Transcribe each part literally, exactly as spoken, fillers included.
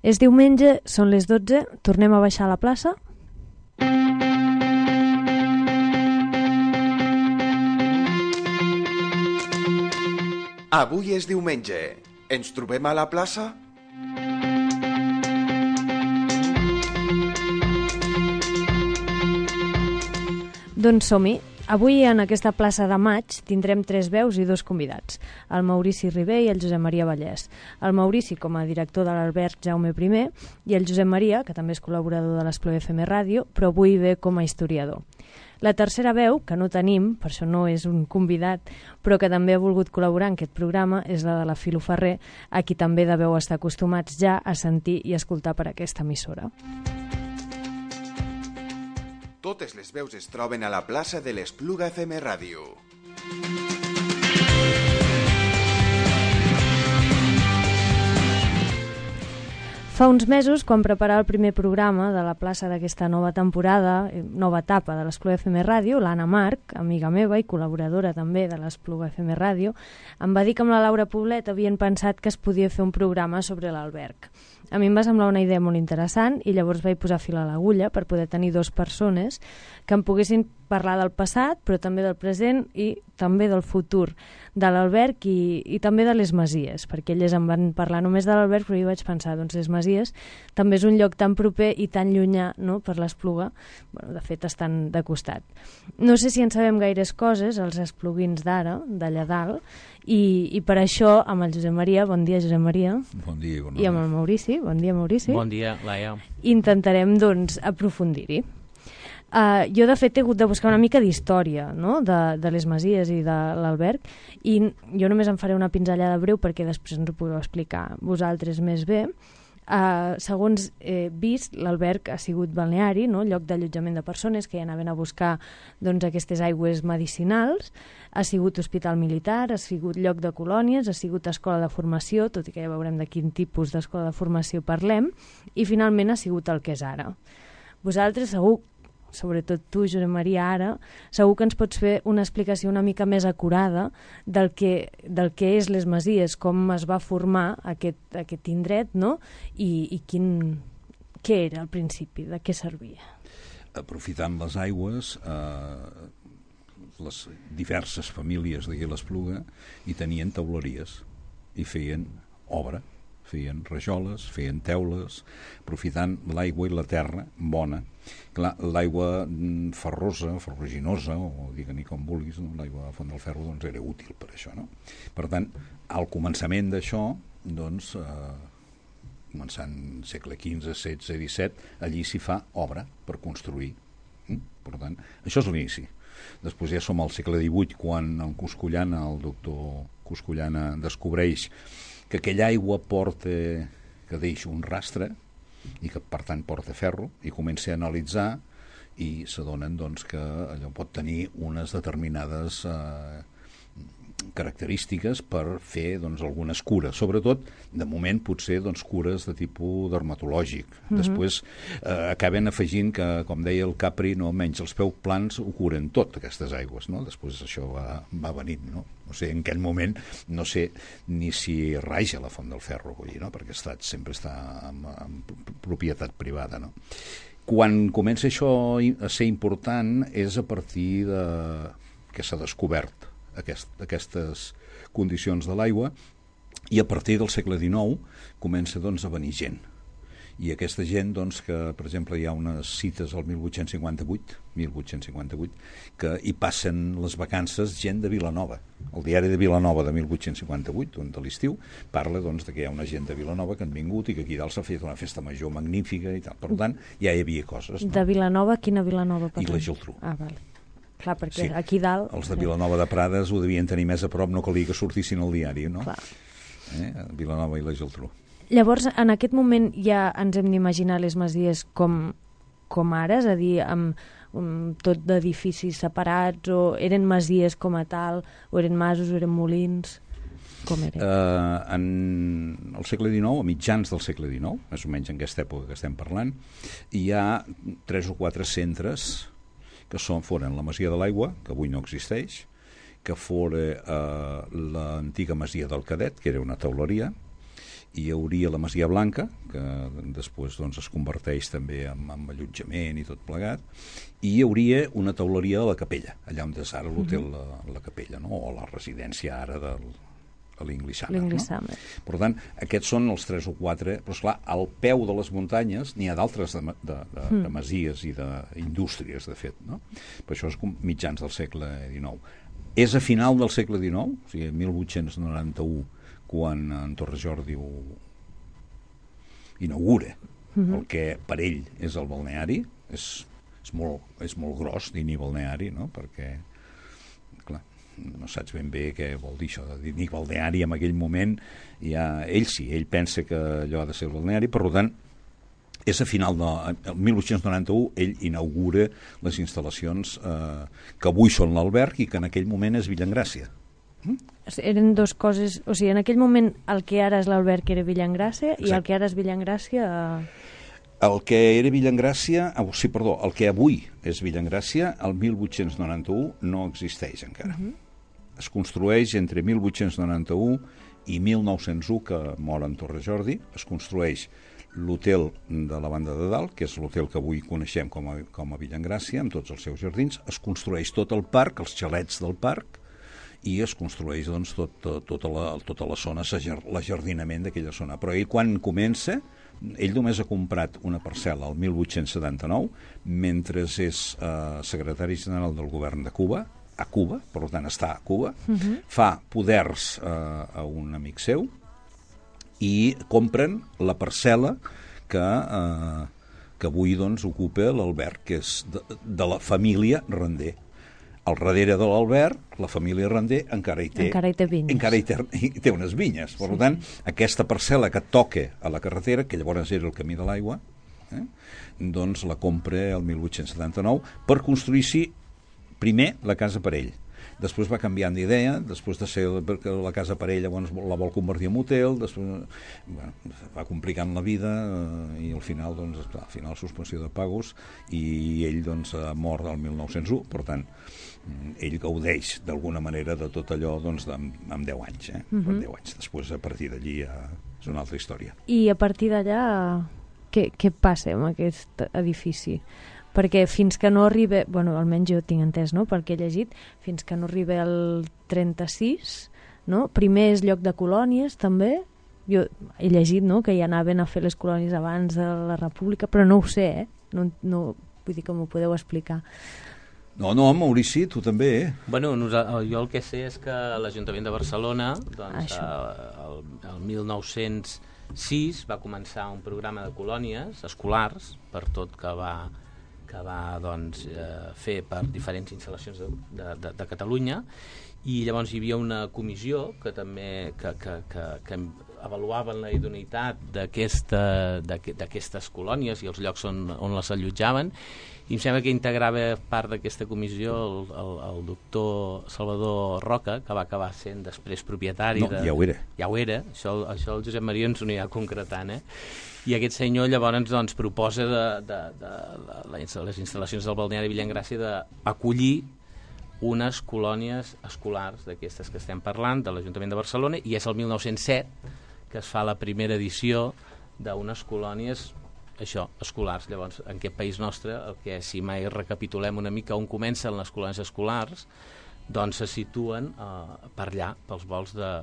És diumenge, són les dotze, tornem a baixar a la plaça. Avui és diumenge. Ens trobem a la plaça? Doncs som-hi. Avui en aquesta plaça de maig tindrem tres veus i dos convidats, el Maurici Ribé i el Josep Maria Vallès. El Maurici com a director de l'Alberg Jaume primer i el Josep Maria, que també és col·laborador de l'Espluga F M Ràdio, però avui ve com a historiador. La tercera veu, que no tenim, per això no és un convidat, però que també ha volgut col·laborar en aquest programa, és la de la Filo Ferrer, a qui també deveu estar acostumats ja a sentir i escoltar per aquesta emissora. Totes les veus es troben a la plaça de l'Espluga F M Ràdio. Fa uns mesos, quan preparava el primer programa de la plaça d'aquesta nova temporada, nova etapa de l'Espluga F M Ràdio, l'Anna Marc, amiga meva i col·laboradora també de l'Espluga F M Ràdio, em va dir que amb la Laura Poblet havien pensat que es podia fer un programa sobre l'Alberg. A mi em va semblar una idea molt interessant i llavors vaig posar fil a l'agulla per poder tenir dues persones que em poguessin parlar del passat, però també del present i també del futur de l'Alberg i, i també de les Masies, perquè elles em van parlar només de l'Alberg, però jo vaig pensar, doncs les Masies també és un lloc tan proper i tan llunyà, no?, per l'Espluga, bueno, de fet estan de costat. No sé si en sabem gaires coses, els espluguins d'ara, d'allà dalt, i, i per això amb el Josep Maria, bon dia Josep Maria, bon dia, bon i amb el Maurici, bon dia Maurici, bon dia Laia, intentarem doncs aprofundir-hi. Uh, jo de fet he hagut de buscar una mica d'història, no?, de, de les Masies i de l'Alberg, i jo només em faré una pinzellada breu perquè després ens ho podeu explicar vosaltres més bé. Uh, segons he vist, l'Alberg ha sigut balneari, no?, lloc d'allotjament de persones que hi anaven a buscar doncs, aquestes aigües medicinals, ha sigut hospital militar, ha sigut lloc de colònies, ha sigut escola de formació, tot i que ja veurem de quin tipus d'escola de formació parlem, i finalment ha sigut el que és ara. Vosaltres segur, sobretot tu, Josep Maria, ara, segur que ens pots fer una explicació una mica més acurada del que, del que és les Masies, com es va formar aquest, aquest indret, no?, i, i quin, què era al principi, de què servia. Aprofitant les aigües, eh, les diverses famílies d'aquí a l'Espluga hi tenien teuleries i feien obra, feien rajoles, feien teules, aprofitant l'aigua i la terra bona. Clar, l'aigua ferrosa, ferruginosa, o digue-n'hi com vulguis, no? L'aigua de Font del Ferro doncs, era útil per això, no? Per tant, al començament d'això, doncs, eh, començant segle quinze, setze, disset, allí s'hi fa obra per construir. Mm? Per tant, això és l'inici. Després ja som al segle divuit, quan en Coscollana, el doctor Coscollana descobreix que aquella aigua porta, que deixa un rastre i que per tant porta ferro, i comença a analitzar i s'adonen doncs, que allò pot tenir unes determinades eh, característiques per fer doncs, algunes cures, sobretot de moment potser doncs, cures de tipus dermatològic. Mm-hmm. Després eh, acaben afegint que, com deia el Capri, no, menys els peus plans ho curen tot, aquestes aigües, no? Després això va, va venint, no? No sé, en aquell moment no sé ni si raja la Font del Ferro, vull dir, no? Perquè estat, sempre està en, en propietat privada, no? Quan comença això a ser important és a partir de que s'ha descobert aquest, aquestes condicions de l'aigua, i a partir del segle dinou comença doncs, a venir gent. I aquesta gent, doncs, que per exemple hi ha unes cites al mil vuit-cents cinquanta-vuit, mil vuit-cents cinquanta-vuit, que hi passen les vacances gent de Vilanova. El diari de Vilanova de mil vuit-cents cinquanta-vuit, de l'estiu, parla doncs, de que hi ha una gent de Vilanova que han vingut i que aquí dalt s'ha fet una festa major magnífica i tal. Per tant, ja hi havia coses. No? De Vilanova, quina Vilanova? I la Geltrú. Ah, val. Clar, perquè sí. Aquí dalt... Els de Vilanova de Prades ho devien tenir més a prop, no calia que sortissin al diari, no? Clar. Eh? Vilanova i la Geltrú. Llavors, en aquest moment ja ens hem d'imaginar les Masies com, com ara, és a dir, amb um, tot d'edificis separats, o eren Masies com a tal, o eren masos, o eren molins, com eren? Uh, en el segle dinou, a mitjans del segle dinou, més o menys en aquesta època que estem parlant, hi ha tres o quatre centres que són, foren la Masia de l'Aigua, que avui no existeix, que fora uh, l'antiga Masia del Cadet, que era una teuleria, hi hauria la Masia Blanca, que després doncs, es converteix també en, en allotjament i tot plegat, i hi hauria una teuleria de la Capella, allà on és ara l'hotel la, la Capella, no? O la residència ara del de l'English Summer. No? Per tant, aquests són els tres o quatre, però esclar, al peu de les muntanyes n'hi ha d'altres de, de, de, mm. de masies i d'indústries, de fet. No? Per això és mitjans del segle dinou. És a final del segle dinou, o sigui, mil vuit-cents noranta-u, quan en Torres Jordi ho inaugura mm-hmm. el que per ell és el balneari, és, és, molt, és molt gros dir-hi balneari, no? Perquè clar, no saps ben bé què vol dir això de dir balneari en aquell moment. Ja, ell sí, ell pensa que allò ha de ser el balneari, per tant és a final del mil vuit-cents noranta-u ell inaugura les instal·lacions eh, que avui són l'alberg i que en aquell moment és Villaengràcia. Mm? Eren dues coses, o sigui, en aquell moment el que ara és l'alberg era Villaengràcia. Exacte. I el que ara és Villaengràcia... El que era Villaengràcia, oh, sí, perdó, el que avui és Villaengràcia, el mil vuit-cents noranta-u no existeix encara. Uh-huh. Es construeix entre mil vuit-cents noranta-u i mil nou-cents u, que mor en Torres Jordi, es construeix l'hotel de la Banda de Dalt, que és l'hotel que avui coneixem com a, com a Villaengràcia, amb tots els seus jardins, es construeix tot el parc, els xalets del parc, i es construeix doncs, tot, tot, tota, la, tota la zona, l'ajardinament d'aquella zona. Però ell quan comença, ell només ha comprat una parcel·la el mil vuit-cents setanta-nou, mentre és eh, secretari general del govern de Cuba, a Cuba, per tant està a Cuba, uh-huh. fa poders eh, a un amic seu i compren la parcel·la que, eh, que avui doncs, ocupa l'alberg, que és de, de la família Render. Al darrere de l'alberg, la família Render encara hi té, encara hi té vinyes. Encara hi té, hi té unes vinyes. Per sí. tant, aquesta parcel·la que toca a la carretera, que llavors era el camí de l'aigua, eh, doncs la compra el mil vuit-cents setanta-nou per construir-s'hi primer la casa per ell. Després va canviant d'idea, després de ser la casa per ell, llavors la vol convertir en hotel, després bueno, va complicant la vida eh, i al final, doncs, al final suspensió de pagos i ell doncs, ha mort el mil nou-cents u, per tant, ell gaudeix d'alguna manera de tot allò doncs, amb, amb deu anys, eh? Uh-huh. Per deu anys. Després, a partir d'allí, ja és una altra història. I a partir d'allà, què, què passa amb aquest edifici? Perquè fins que no arriba, bueno, almenys jo tinc entès, no?, perquè he llegit, fins que no arriba el trenta-sis, no?, primer és lloc de colònies, també, jo he llegit, no?, que hi anaven a fer les colònies abans de la República, però no ho sé, eh?, no, no, vull dir que m'ho podeu explicar. No, no, Maurici, tu també, eh? Bueno, nosaltres, jo el que sé és que l'Ajuntament de Barcelona, doncs, eh, el, el mil nou-cents sis va començar un programa de colònies escolars, per tot que va... que va doncs, eh, fer per diferents instal·lacions de, de, de, de Catalunya, i llavors hi havia una comissió que també que, que, que, que avaluaven la idoneïtat d'aquestes colònies i els llocs on, on les allotjaven, i em sembla que integrava part d'aquesta comissió el, el, el doctor Salvador Roca, que va acabar sent després propietari. No, de, ja ho era. Ja ho era, això, això el Josep Maria ens ho anirà concretant, eh? I aquest senyor llavors doncs, proposa de, de, de, de les instal·lacions del balneari Villaengràcia d'acollir unes colònies escolars d'aquestes que estem parlant, de l'Ajuntament de Barcelona, i és el mil nou-cents set que es fa la primera edició d'unes colònies això, escolars. Llavors, en aquest país nostre, el que si mai recapitulem una mica on comencen les colònies escolars, doncs se situen eh, per allà, pels vols de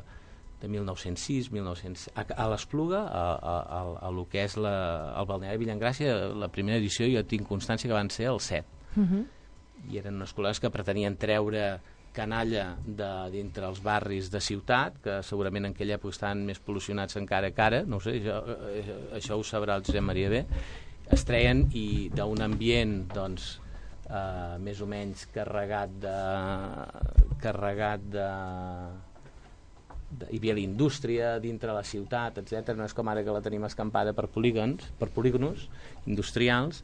de mil nou-cents sis, mil nou-cents... A, a l'Espluga, a, a, a, a lo que és la, el balneari Villaengràcia, la primera edició jo tinc constància que van ser el set. Uh-huh. I eren unes col·legues que pretenien treure canalla de dintre els barris de ciutat, que segurament en aquella època estaven més pol·lucionats encara que ara, no ho sé, això, això ho sabrà el Josep Maria bé, es treien i d'un ambient, doncs, eh, més o menys carregat de... carregat de hi havia la indústria dintre la ciutat, etcètera. No és com ara que la tenim escampada per polígons, per polígonos industrials.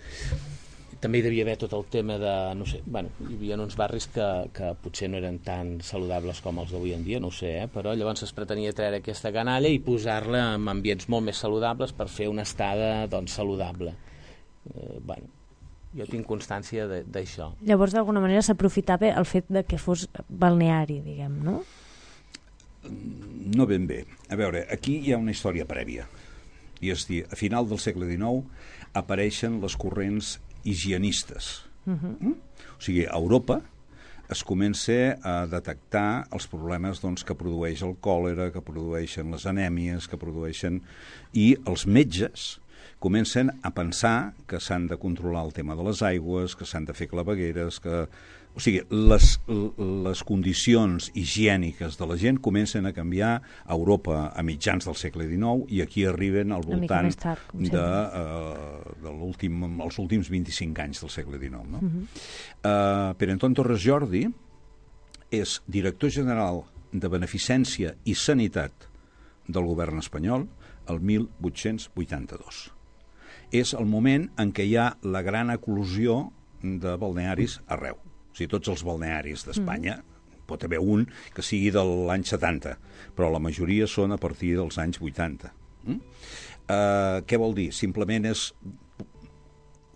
També hi devia haver tot el tema de, no sé, bueno, hi havia uns barris que, que potser no eren tan saludables com els d'avui en dia, no ho sé, eh? Però llavors es pretenia treure aquesta canalla i posar-la en ambients molt més saludables per fer una estada, doncs, saludable. Eh, bueno, jo tinc constància d'això. Llavors, d'alguna manera, s'aprofitava el fet de que fos balneari, diguem, no? No ben bé. A veure, aquí hi ha una història prèvia. I és dir, a final del segle dinou apareixen les corrents higienistes. Uh-huh. Mm? O sigui, a Europa es comença a detectar els problemes doncs, que produeix el còlera, que produeixen les anèmies, que produeixen... I els metges comencen a pensar que s'han de controlar el tema de les aigües, que s'han de fer clavegueres, que... O sigui, les, les condicions higièniques de la gent comencen a canviar a Europa a mitjans del segle dinou i aquí arriben al voltant tard, de, uh, de l'últim, els últims vint-i-cinc anys del segle dinou. No? Uh-huh. uh, Pere Anton Torres Jordi és director general de Beneficència i Sanitat del govern espanyol el mil vuit-cents vuitanta-dos. És el moment en què hi ha la gran eclosió de balnearis arreu. O sigui, tots els balnearis d'Espanya, mm. pot haver un que sigui de l'any setanta, però la majoria són a partir dels anys vuitanta. Mm? Uh, què vol dir? Simplement és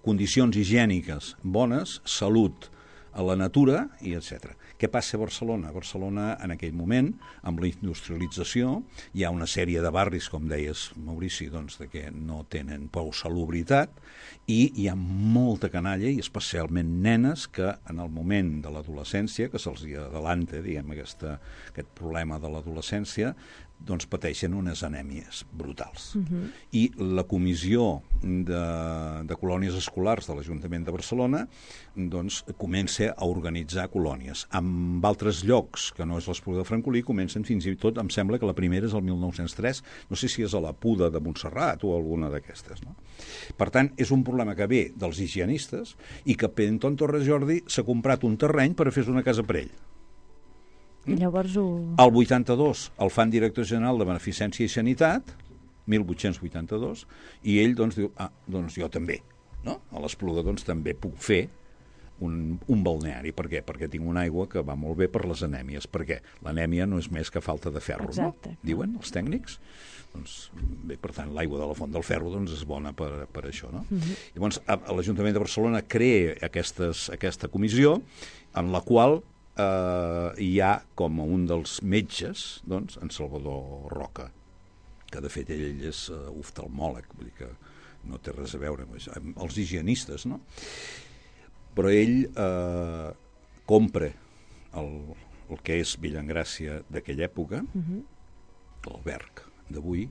condicions higièniques bones, salut a la natura i etcètera. Què passa a Barcelona? A Barcelona, en aquell moment, amb la industrialització, hi ha una sèrie de barris, com deies, Maurici, doncs, de que no tenen prou salubritat i hi ha molta canalla, i especialment nenes, que en el moment de l'adolescència, que se'ls adelanta, diguem, aquesta, aquest problema de l'adolescència, doncs pateixen unes anèmies brutals. Uh-huh. I la comissió de, de colònies escolars de l'Ajuntament de Barcelona doncs comença a organitzar colònies. En altres llocs, que no és l'Espluga de Francolí, comencen fins i tot, em sembla que la primera és el mil nou-cents tres, no sé si és a la Puda de Montserrat o alguna d'aquestes. No? Per tant, és un problema que ve dels higienistes i que Pere Anton Torres Jordi s'ha comprat un terreny per fer una casa per ell. I llavors ho... El vuitanta-dos el fan director general de Beneficència i Sanitat, mil vuit-cents vuitanta-dos, i ell doncs diu, ah, doncs jo també, no? A l'Espluga doncs també puc fer un, un balneari. Per què? Perquè tinc una aigua que va molt bé per les anèmies. Per què? L'anèmia no és més que falta de ferro, exacte, no? Diuen els tècnics. Doncs, bé, per tant, l'aigua de la Font del Ferro doncs, és bona per, per això, no? Uh-huh. Llavors, a, a l'Ajuntament de Barcelona crea aquestes, aquesta comissió en la qual Uh, hi ha com un dels metges, doncs, en Salvador Roca, que de fet ell és uh, oftalmòleg, vull dir que no té res a veure amb els higienistes, no? Però ell uh, compra el, el que és Villaengràcia d'aquella època, uh-huh. l'alberg d'avui,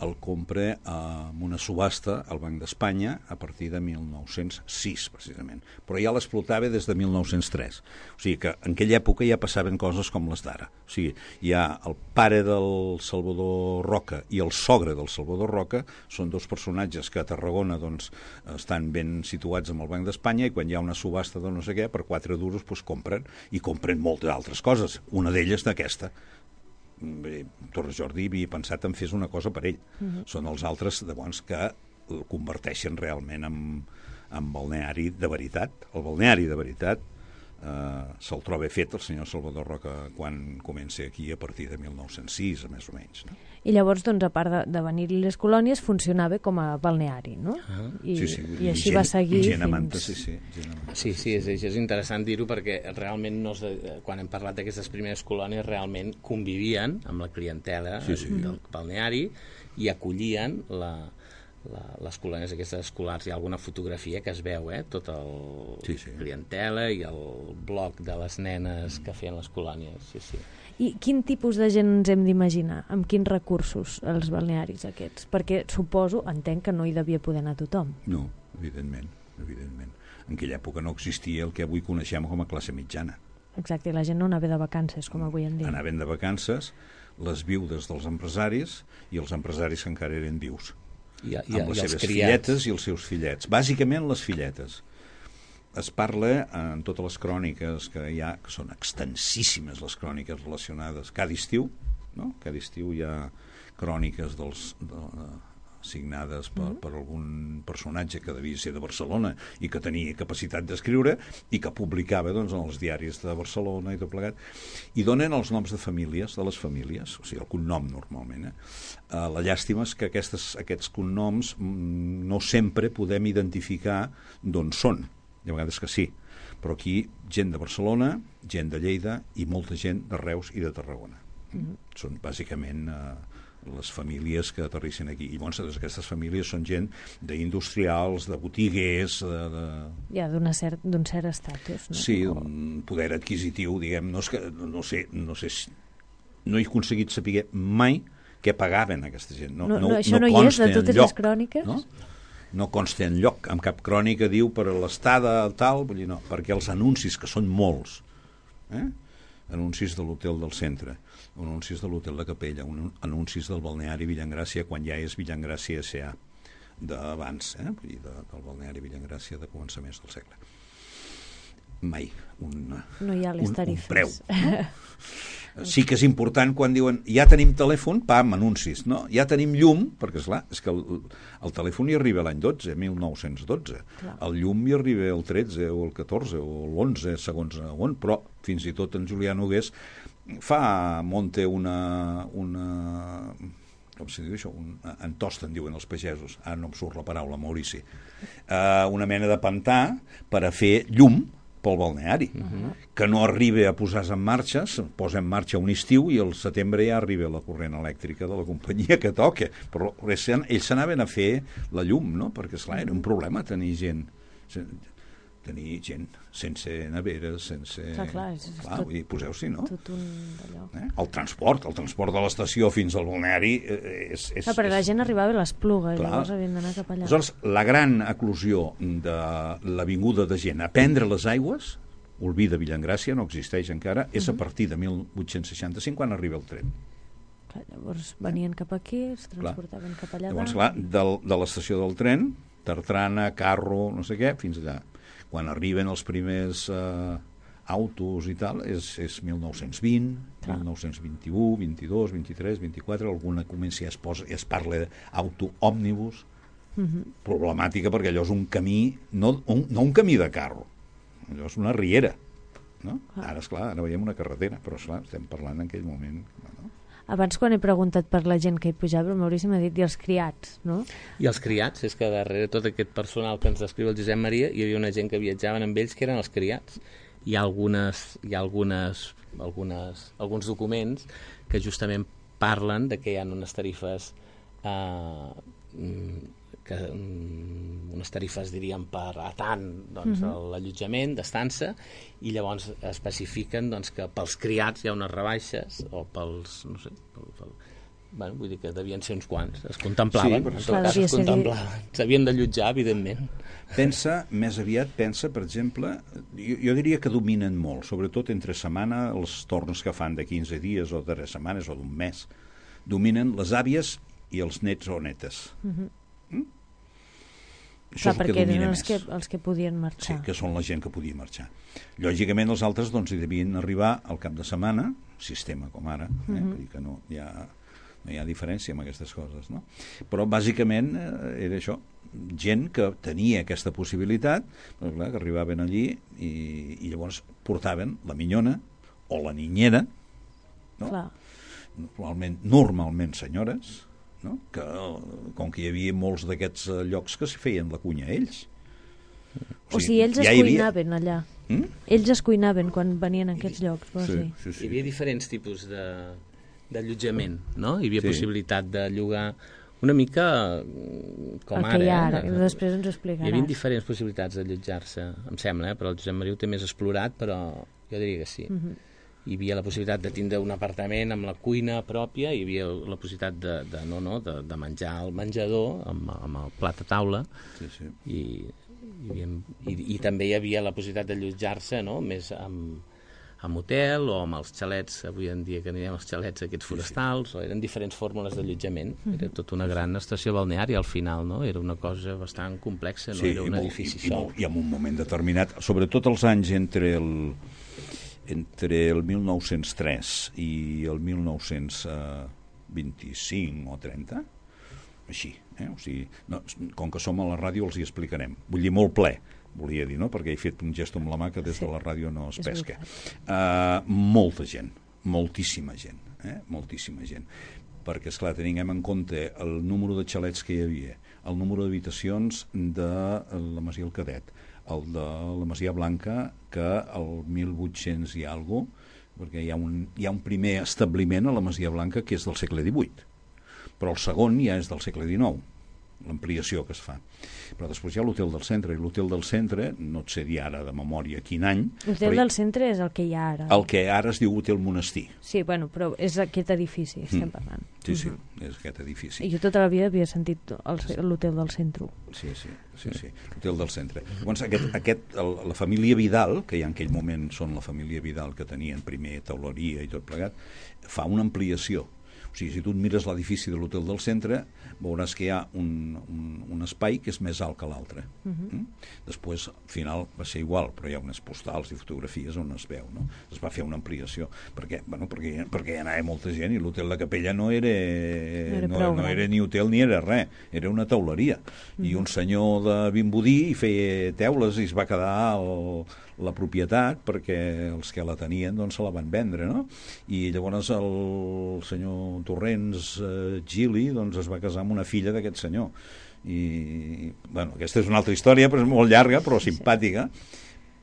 el compra amb una subhasta al Banc d'Espanya a partir de mil nou-cents sis, precisament. Però ja l'explotava des de mil nou-cents tres. O sigui que en aquella època ja passaven coses com les d'ara. O sigui, hi ha el pare del Salvador Roca i el sogre del Salvador Roca, són dos personatges que a Tarragona doncs, estan ben situats amb el Banc d'Espanya i quan hi ha una subhasta de no sé què, per quatre duros doncs, compren, i compren moltes altres coses. Una d'elles d'aquesta. Bé, Torres Jordi havia pensat en fer una cosa per ell. Uh-huh. Són els altres llavors que el converteixen realment en, en balneari de veritat. El balneari de veritat eh, se'l troba fet el senyor Salvador Roca quan comença aquí a partir de mil nou-cents sis, més o menys. No? I llavors, doncs, a part de, de venir-li les colònies, funcionava com a balneari, no? Ah, I, sí, sí, i així gent, va seguir gent fins... Manta, sí, sí, sí, sí, és, és interessant dir-ho perquè realment no és, quan hem parlat d'aquestes primeres colònies realment convivien amb la clientela sí, sí. del balneari i acollien la, la, les colònies aquestes escolars. Hi ha alguna fotografia que es veu, eh? Tot el sí, sí. clientela i el bloc de les nenes que feien les colònies, sí, sí. I quin tipus de gent ens hem d'imaginar? Amb quins recursos els balnearis aquests? Perquè suposo, entenc que no hi devia poder anar tothom. No, evidentment, evidentment. En aquella època no existia el que avui coneixem com a classe mitjana. Exacte, i la gent no anava de vacances, com avui en dia. Anaven de vacances les viudes dels empresaris i els empresaris que encara eren vius. I, i, amb les i seves criats. filletes i els seus fillets. Bàsicament les filletes. Es parla en totes les cròniques que hi ha, que són extensíssimes les cròniques relacionades. Cada estiu, no? Cada estiu hi ha cròniques dels, de, signades per, per algun personatge que devia ser de Barcelona i que tenia capacitat d'escriure i que publicava doncs, en els diaris de Barcelona i tot plegat, i donen els noms de famílies, de les famílies, o sigui, el cognom normalment. Eh? Uh, la llàstima és que aquestes, aquests cognoms mm, no sempre podem identificar d'on són. De vegades que sí, però aquí gent de Barcelona, gent de Lleida i molta gent de Reus i de Tarragona. Mm-hmm. Són bàsicament eh, les famílies que aterrissen aquí. I llavors aquestes famílies són gent d'industrials, de botiguers, de... de... Ja, d'un cert, d'un cert estatus. No? Sí, un poder adquisitiu, diguem, no, és que, no sé, no sé si... no he aconseguit saber mai què pagaven aquesta gent. No, no, no, no, això no, no hi és, de totes lloc, les cròniques? No? No consta en lloc, en cap crònica diu per a l'estada tal, vull dir, no, perquè els anuncis, que són molts, eh? Anuncis de l'hotel del centre, anuncis de l'hotel de Capella, un, anuncis del balneari Villangràcia, quan ja és Villangràcia S A d'abans, eh? Vull dir, de, del balneari Villangràcia de començaments del segle. Mai un, no hi ha les un, tarifes. Un preu. No? Sí que és important quan diuen ja tenim telèfon, pam, anuncis, no? Ja tenim llum, perquè esclar, és que el, el telèfon hi arriba l'any dotze, mil nou-cents dotze. Clar. El llum hi arriba el tretze o el catorze o l'onze, segons on, però fins i tot en Julià Nogués fa, monte una... una com se diu això? Un, en tosten, diuen els pagesos, ara no em surt la paraula, Maurici, uh, una mena de pantà per a fer llum pel balneari, uh-huh. que no arriba a posar-se en marxa, es posa en marxa un estiu i al setembre ja arriba la corrent elèctrica de la companyia que toca, però ells s'anaven a fer la llum, no? Perquè esclar, era un problema tenir gent tenir gent sense neveres, sense... Clar, clar, és clar, tot, vull dir, poseu-s'hi, no? Tot un d'allò. Eh? El transport, el transport de l'estació fins al balneari eh, és... és clar, perquè és... la gent arribava a l'Espluga, clar. Llavors havien d'anar cap allà. Aleshores, la gran eclosió de l'avinguda de gent a prendre les aigües, Olvida Villangràcia, no existeix encara, és uh-huh. a partir de mil vuit-cents seixanta-cinc quan arriba el tren. Clar, llavors venien cap aquí, es transportaven clar. cap allà. Llavors, clar, del, de l'estació del tren, Tartrana, Carro, no sé què, fins allà. Quan arriben els primers eh, autos i tal, és, és mil nou-cents vint, clar. mil nou-cents vint-i-u, vint-i-dos, vint-i-tres, vint-i-quatre, alguna comença i es, posa, i es parla d'auto òmnibus, uh-huh. problemàtica perquè allò és un camí, no un, no un camí de carro, allò és una riera, no? Ah. Ara, esclar, ara veiem una carretera, però esclar, estem parlant en aquell moment... No? Abans, quan he preguntat per la gent que hi pujava, el Maurici m'ha dit, i els criats, no? I els criats, és que darrere tot aquest personal que ens descriu el Josep Maria, hi havia una gent que viatjaven amb ells que eren els criats. Hi ha, algunes, hi ha algunes, algunes, alguns documents que justament parlen de que hi ha unes tarifes eh, que, unes tarifes, diríem, per a tant doncs, uh-huh. l'allotjament, d'estança, i llavors especifiquen doncs, que pels criats hi ha unes rebaixes, o pels, no sé, pel, pel, bueno, vull dir que devien ser uns quants, es contemplaven, sí, en tot cas es contemplaven, s'havien d'allotjar, evidentment. Pensa, més aviat pensa, per exemple, jo, jo diria que dominen molt, sobretot entre setmana, els torns que fan de quinze dies o de tres setmanes o d'un mes, dominen les àvies i els nets o netes. Uh-huh. Mm? Això clar, perquè eren els que, els que podien marxar. Sí, que són la gent que podia marxar. Lògicament els altres doncs, hi devien arribar al cap de setmana, sistema com ara, eh? Uh-huh. Vull dir que no hi, ha, no hi ha diferència amb aquestes coses, no? Però bàsicament eh, era això, gent que tenia aquesta possibilitat, però, clar, que arribaven allí i, i llavors portaven la minyona o la niñera, no? Clar. Normalment, normalment senyores, no? Que, com que hi havia molts d'aquests llocs que s'hi feien la cunya ells. O sigui, o sigui ells ja es cuinaven havia... allà. Mm? Ells es cuinaven quan venien a aquests llocs. Sí, sí, sí. Hi havia diferents tipus de, d'allotjament, no? Hi havia sí. possibilitat de llogar una mica com el ara. Que hi ha ara, eh? després ens ho explicaràs. Hi havia diferents possibilitats d'allotjar-se, em sembla, eh? Però el Josep Maria ho té més explorat, però jo diria que sí. Uh-huh. Hi havia la possibilitat de tindre un apartament amb la cuina pròpia, hi havia la possibilitat de, de, no, no, de, de menjar al menjador amb, amb el plat a taula, sí, sí. I, hi havia, i, i també hi havia la possibilitat d'allotjar-se, no? Més amb, amb hotel o amb els xalets, avui en dia que anirem als xalets aquests forestals, sí, sí. O eren diferents fórmules d'allotjament. Mm-hmm. Era tota una gran estació balneària al final, no? Era una cosa bastant complexa, no sí, era un edifici i, sol. I, i en un moment determinat, sobretot els anys entre el entre el mil nou-cents tres i el mil nou-cents vint-i-cinc o trenta, així, eh? O sigui, no, com que som a la ràdio els hi explicarem. Vull dir, molt ple, volia dir, no? Perquè he fet un gest amb la mà que des sí. de la ràdio no es pesca. Uh, molta gent, moltíssima gent, eh? moltíssima gent. Perquè, esclar, tinguem en compte el número de xalets que hi havia, el número d'habitacions de la Masia El Cadet, el de la Masia Blanca, que el mil vuit-cents i alguna cosa perquè hi ha, un, hi ha un primer establiment a la Masia Blanca que és del segle divuit, però el segon ja és del segle dinou, l'ampliació que es fa. Però després hi ha l'hotel del centre, i l'hotel del centre, no et sé dir ara de memòria quin any... L'hotel del centre és el que hi ha ara. El que ara es diu Hotel Monestir. Sí, bueno, però és aquest edifici, estem mm. parlant. Sí, sí, uh-huh. és aquest edifici. I jo tota la vida havia sentit l'hotel del centre. Sí, sí, sí, sí. l'hotel del centre. Llavors, aquest, aquest, el, la família Vidal, que ja en aquell moment són la família Vidal que tenien primer teuleria i tot plegat, fa una ampliació. O sigui, si tu et mires l'edifici de l'hotel del centre, veuràs que hi ha un, un, un espai que és més alt que l'altre. Uh-huh. mm? Després, al final, va ser igual, però hi ha unes postals i fotografies on es veu, no? Es va fer una ampliació, perquè, bueno, perquè, perquè hi anava molta gent i l'hotel de Capella no era, no era, no, no era ni hotel ni era res, era una teuleria. Uh-huh. I un senyor de Vimbodí hi feia teules i es va quedar el, la propietat perquè els que la tenien doncs se la van vendre, no? I llavors el senyor Torrents eh, Gili doncs es va casar amb una filla d'aquest senyor. I, bueno, aquesta és una altra història, però és molt llarga, però simpàtica,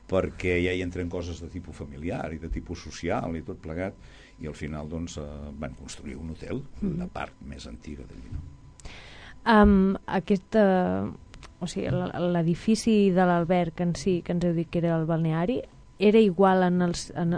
perquè ja hi entren coses de tipus familiar i de tipus social i tot plegat, i al final doncs eh, van construir un hotel, mm. la part més antiga d'allí, no? Um, aquesta... O sigui, l'edifici de l'alberg en si, que ens heu dit que era el balneari, era igual en els, en,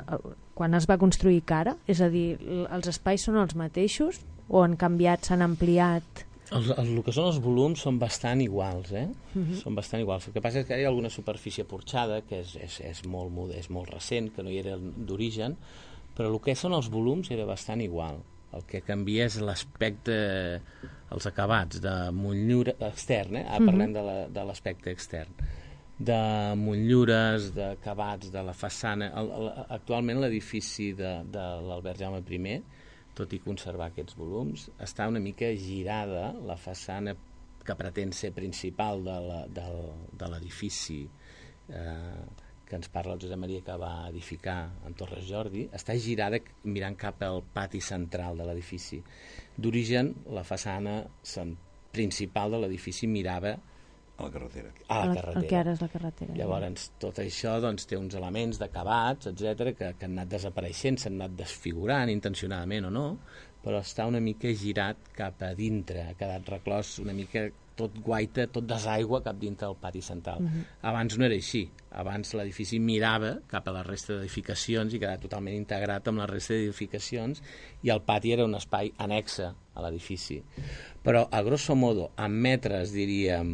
quan es va construir que ara? És a dir, els espais són els mateixos o han canviat, s'han ampliat? Els, el, el que són els volums són bastant iguals, eh? Uh-huh. Són bastant iguals. El que passa és que hi ha alguna superfície porxada, que és, és, és, molt, és molt recent, que no hi era d'origen, però el que són els volums era bastant igual. El que canvia és l'aspecte, els acabats de motllura extern, eh? Ara parlem de, la, de l'aspecte extern, de motllures, d'acabats, de la façana. El, el, actualment l'edifici de, de l'Albert Jaume I, tot i conservar aquests volums, està una mica girada la façana que pretén ser principal de, la, de, de l'edifici eh, que ens parla el Josep Maria que va edificar en Torres Jordi, està girada mirant cap al pati central de l'edifici. D'origen, la façana principal de l'edifici mirava a la carretera. A la carretera. El que ara és la carretera. Llavors, tot això doncs, té uns elements d'acabats, etcètera, que, que han anat desapareixent, s'han anat desfigurant intencionadament o no, però està una mica girat cap a dintre, ha quedat reclòs una mica tot guaita, tot desaigua cap dintre del pati central. Uh-huh. Abans no era així. Abans l'edifici mirava cap a la resta d'edificacions i quedava totalment integrat amb la resta d'edificacions i el pati era un espai annexe a l'edifici. Però, a grosso modo, en metres, diríem,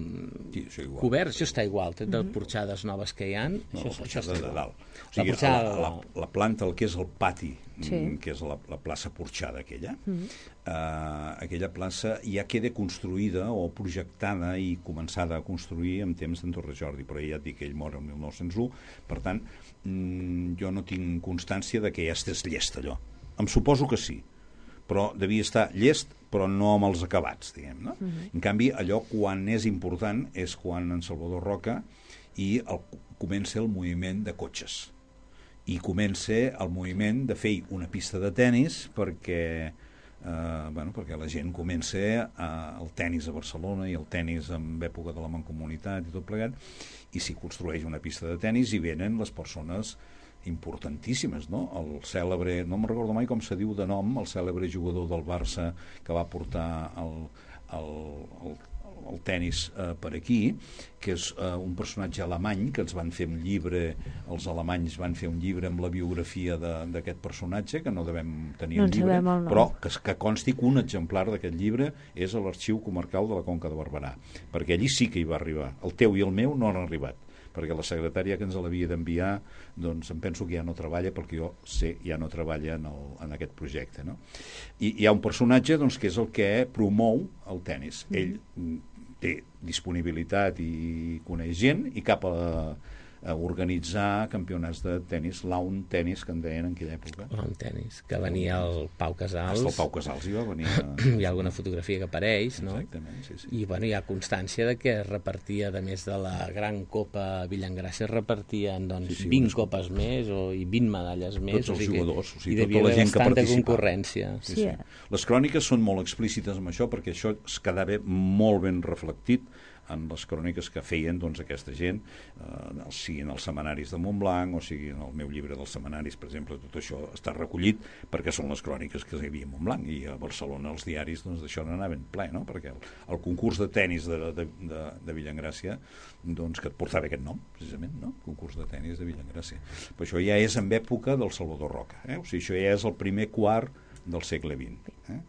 sí, això coberts, això està igual, tret de porxades noves que hi ha, no, això, això està de dalt. O sigui, la, la, la, la planta, el que és el pati, sí. que és la, la plaça porxada aquella, mm. eh, aquella plaça ja queda construïda o projectada i començada a construir en temps d'en Torres Jordi, però ja et dic que ell mor el mil nou-cents u, per tant, mm, jo no tinc constància de que ja estés llest allò. Em suposo que sí, però devia estar llest, però no amb els acabats, diguem, no? Mm-hmm. En canvi, allò quan és important és quan en Salvador Roca i el, comença el moviment de cotxes i comença el moviment de fer una pista de tennis perquè, eh, bueno, perquè la gent comença a, el tennis a Barcelona i el tennis en època de la Mancomunitat i tot plegat, i s'hi construeix una pista de tennis i venen les persones importantíssimes, no? El cèlebre, no me'n recordo mai com se diu de nom, el cèlebre jugador del Barça que va portar el, el, el, el tennis eh, per aquí, que és eh, un personatge alemany, que ens van fer un llibre, els alemanys van fer un llibre amb la biografia d'aquest personatge, que no devem tenir no el llibre, el però que, que consti que un exemplar d'aquest llibre és a l'Arxiu Comarcal de la Conca de Barberà, perquè allí sí que hi va arribar. El teu i el meu no han arribat, perquè la secretària que ens l'havia d'enviar doncs em penso que ja no treballa, perquè jo sé ja no treballa en, el, en aquest projecte, no? I hi ha un personatge doncs, que és el que promou el tennis. Mm. Ell té disponibilitat i coneix gent i cap a, a organitzar campionats de tennis, lawn tennis, que en deien en aquella època. Lawn tennis, que venia el Pau Casals. Hasta el Pau Casals hi va venir. A... hi ha alguna fotografia que apareix, no? Exactament, sí, sí. I bueno, hi ha constància de que es repartia, a més de la gran Copa Villangràcia, es repartien doncs, sí, sí, vint unes... copes més o, i vint medalles més. Tots els o sigui jugadors, o sigui, i tota la gent que participa. Concurrència. Sí, sí. Les cròniques són molt explícites amb això, perquè això es quedava molt ben reflectit en les cròniques que feien doncs, aquesta gent, eh, siguin els setmanaris de Montblanc o siguin el meu llibre dels setmanaris, per exemple, tot això està recollit perquè són les cròniques que hi havia a Montblanc, i a Barcelona els diaris doncs, d'això n'anaven ple, no? Perquè el, el concurs de tennis de, de, de, de Villaengràcia, doncs, que et portava aquest nom, precisament, no? Concurs de tennis de Villaengràcia. Però això ja és en època del Salvador Roca, eh? O sigui, això ja és el primer quart del segle vint, eh?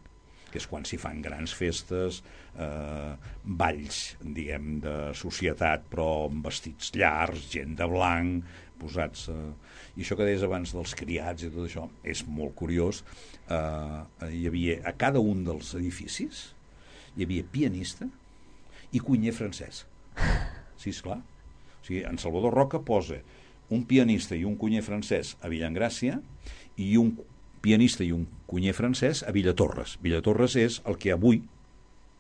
Que és quan s'hi fan grans festes, eh, balls, diguem, de societat, però amb vestits llargs, gent de blanc, posats... Eh, I això que deies abans dels criats i tot això, és molt curiós. Eh, hi havia, a cada un dels edificis, hi havia pianista i cuiner francès. Sí, esclar. O sigui, en Salvador Roca posa un pianista i un cuiner francès a Villaengràcia i un pianista i un cuiner francès a Villatorres. Villatorres és el que avui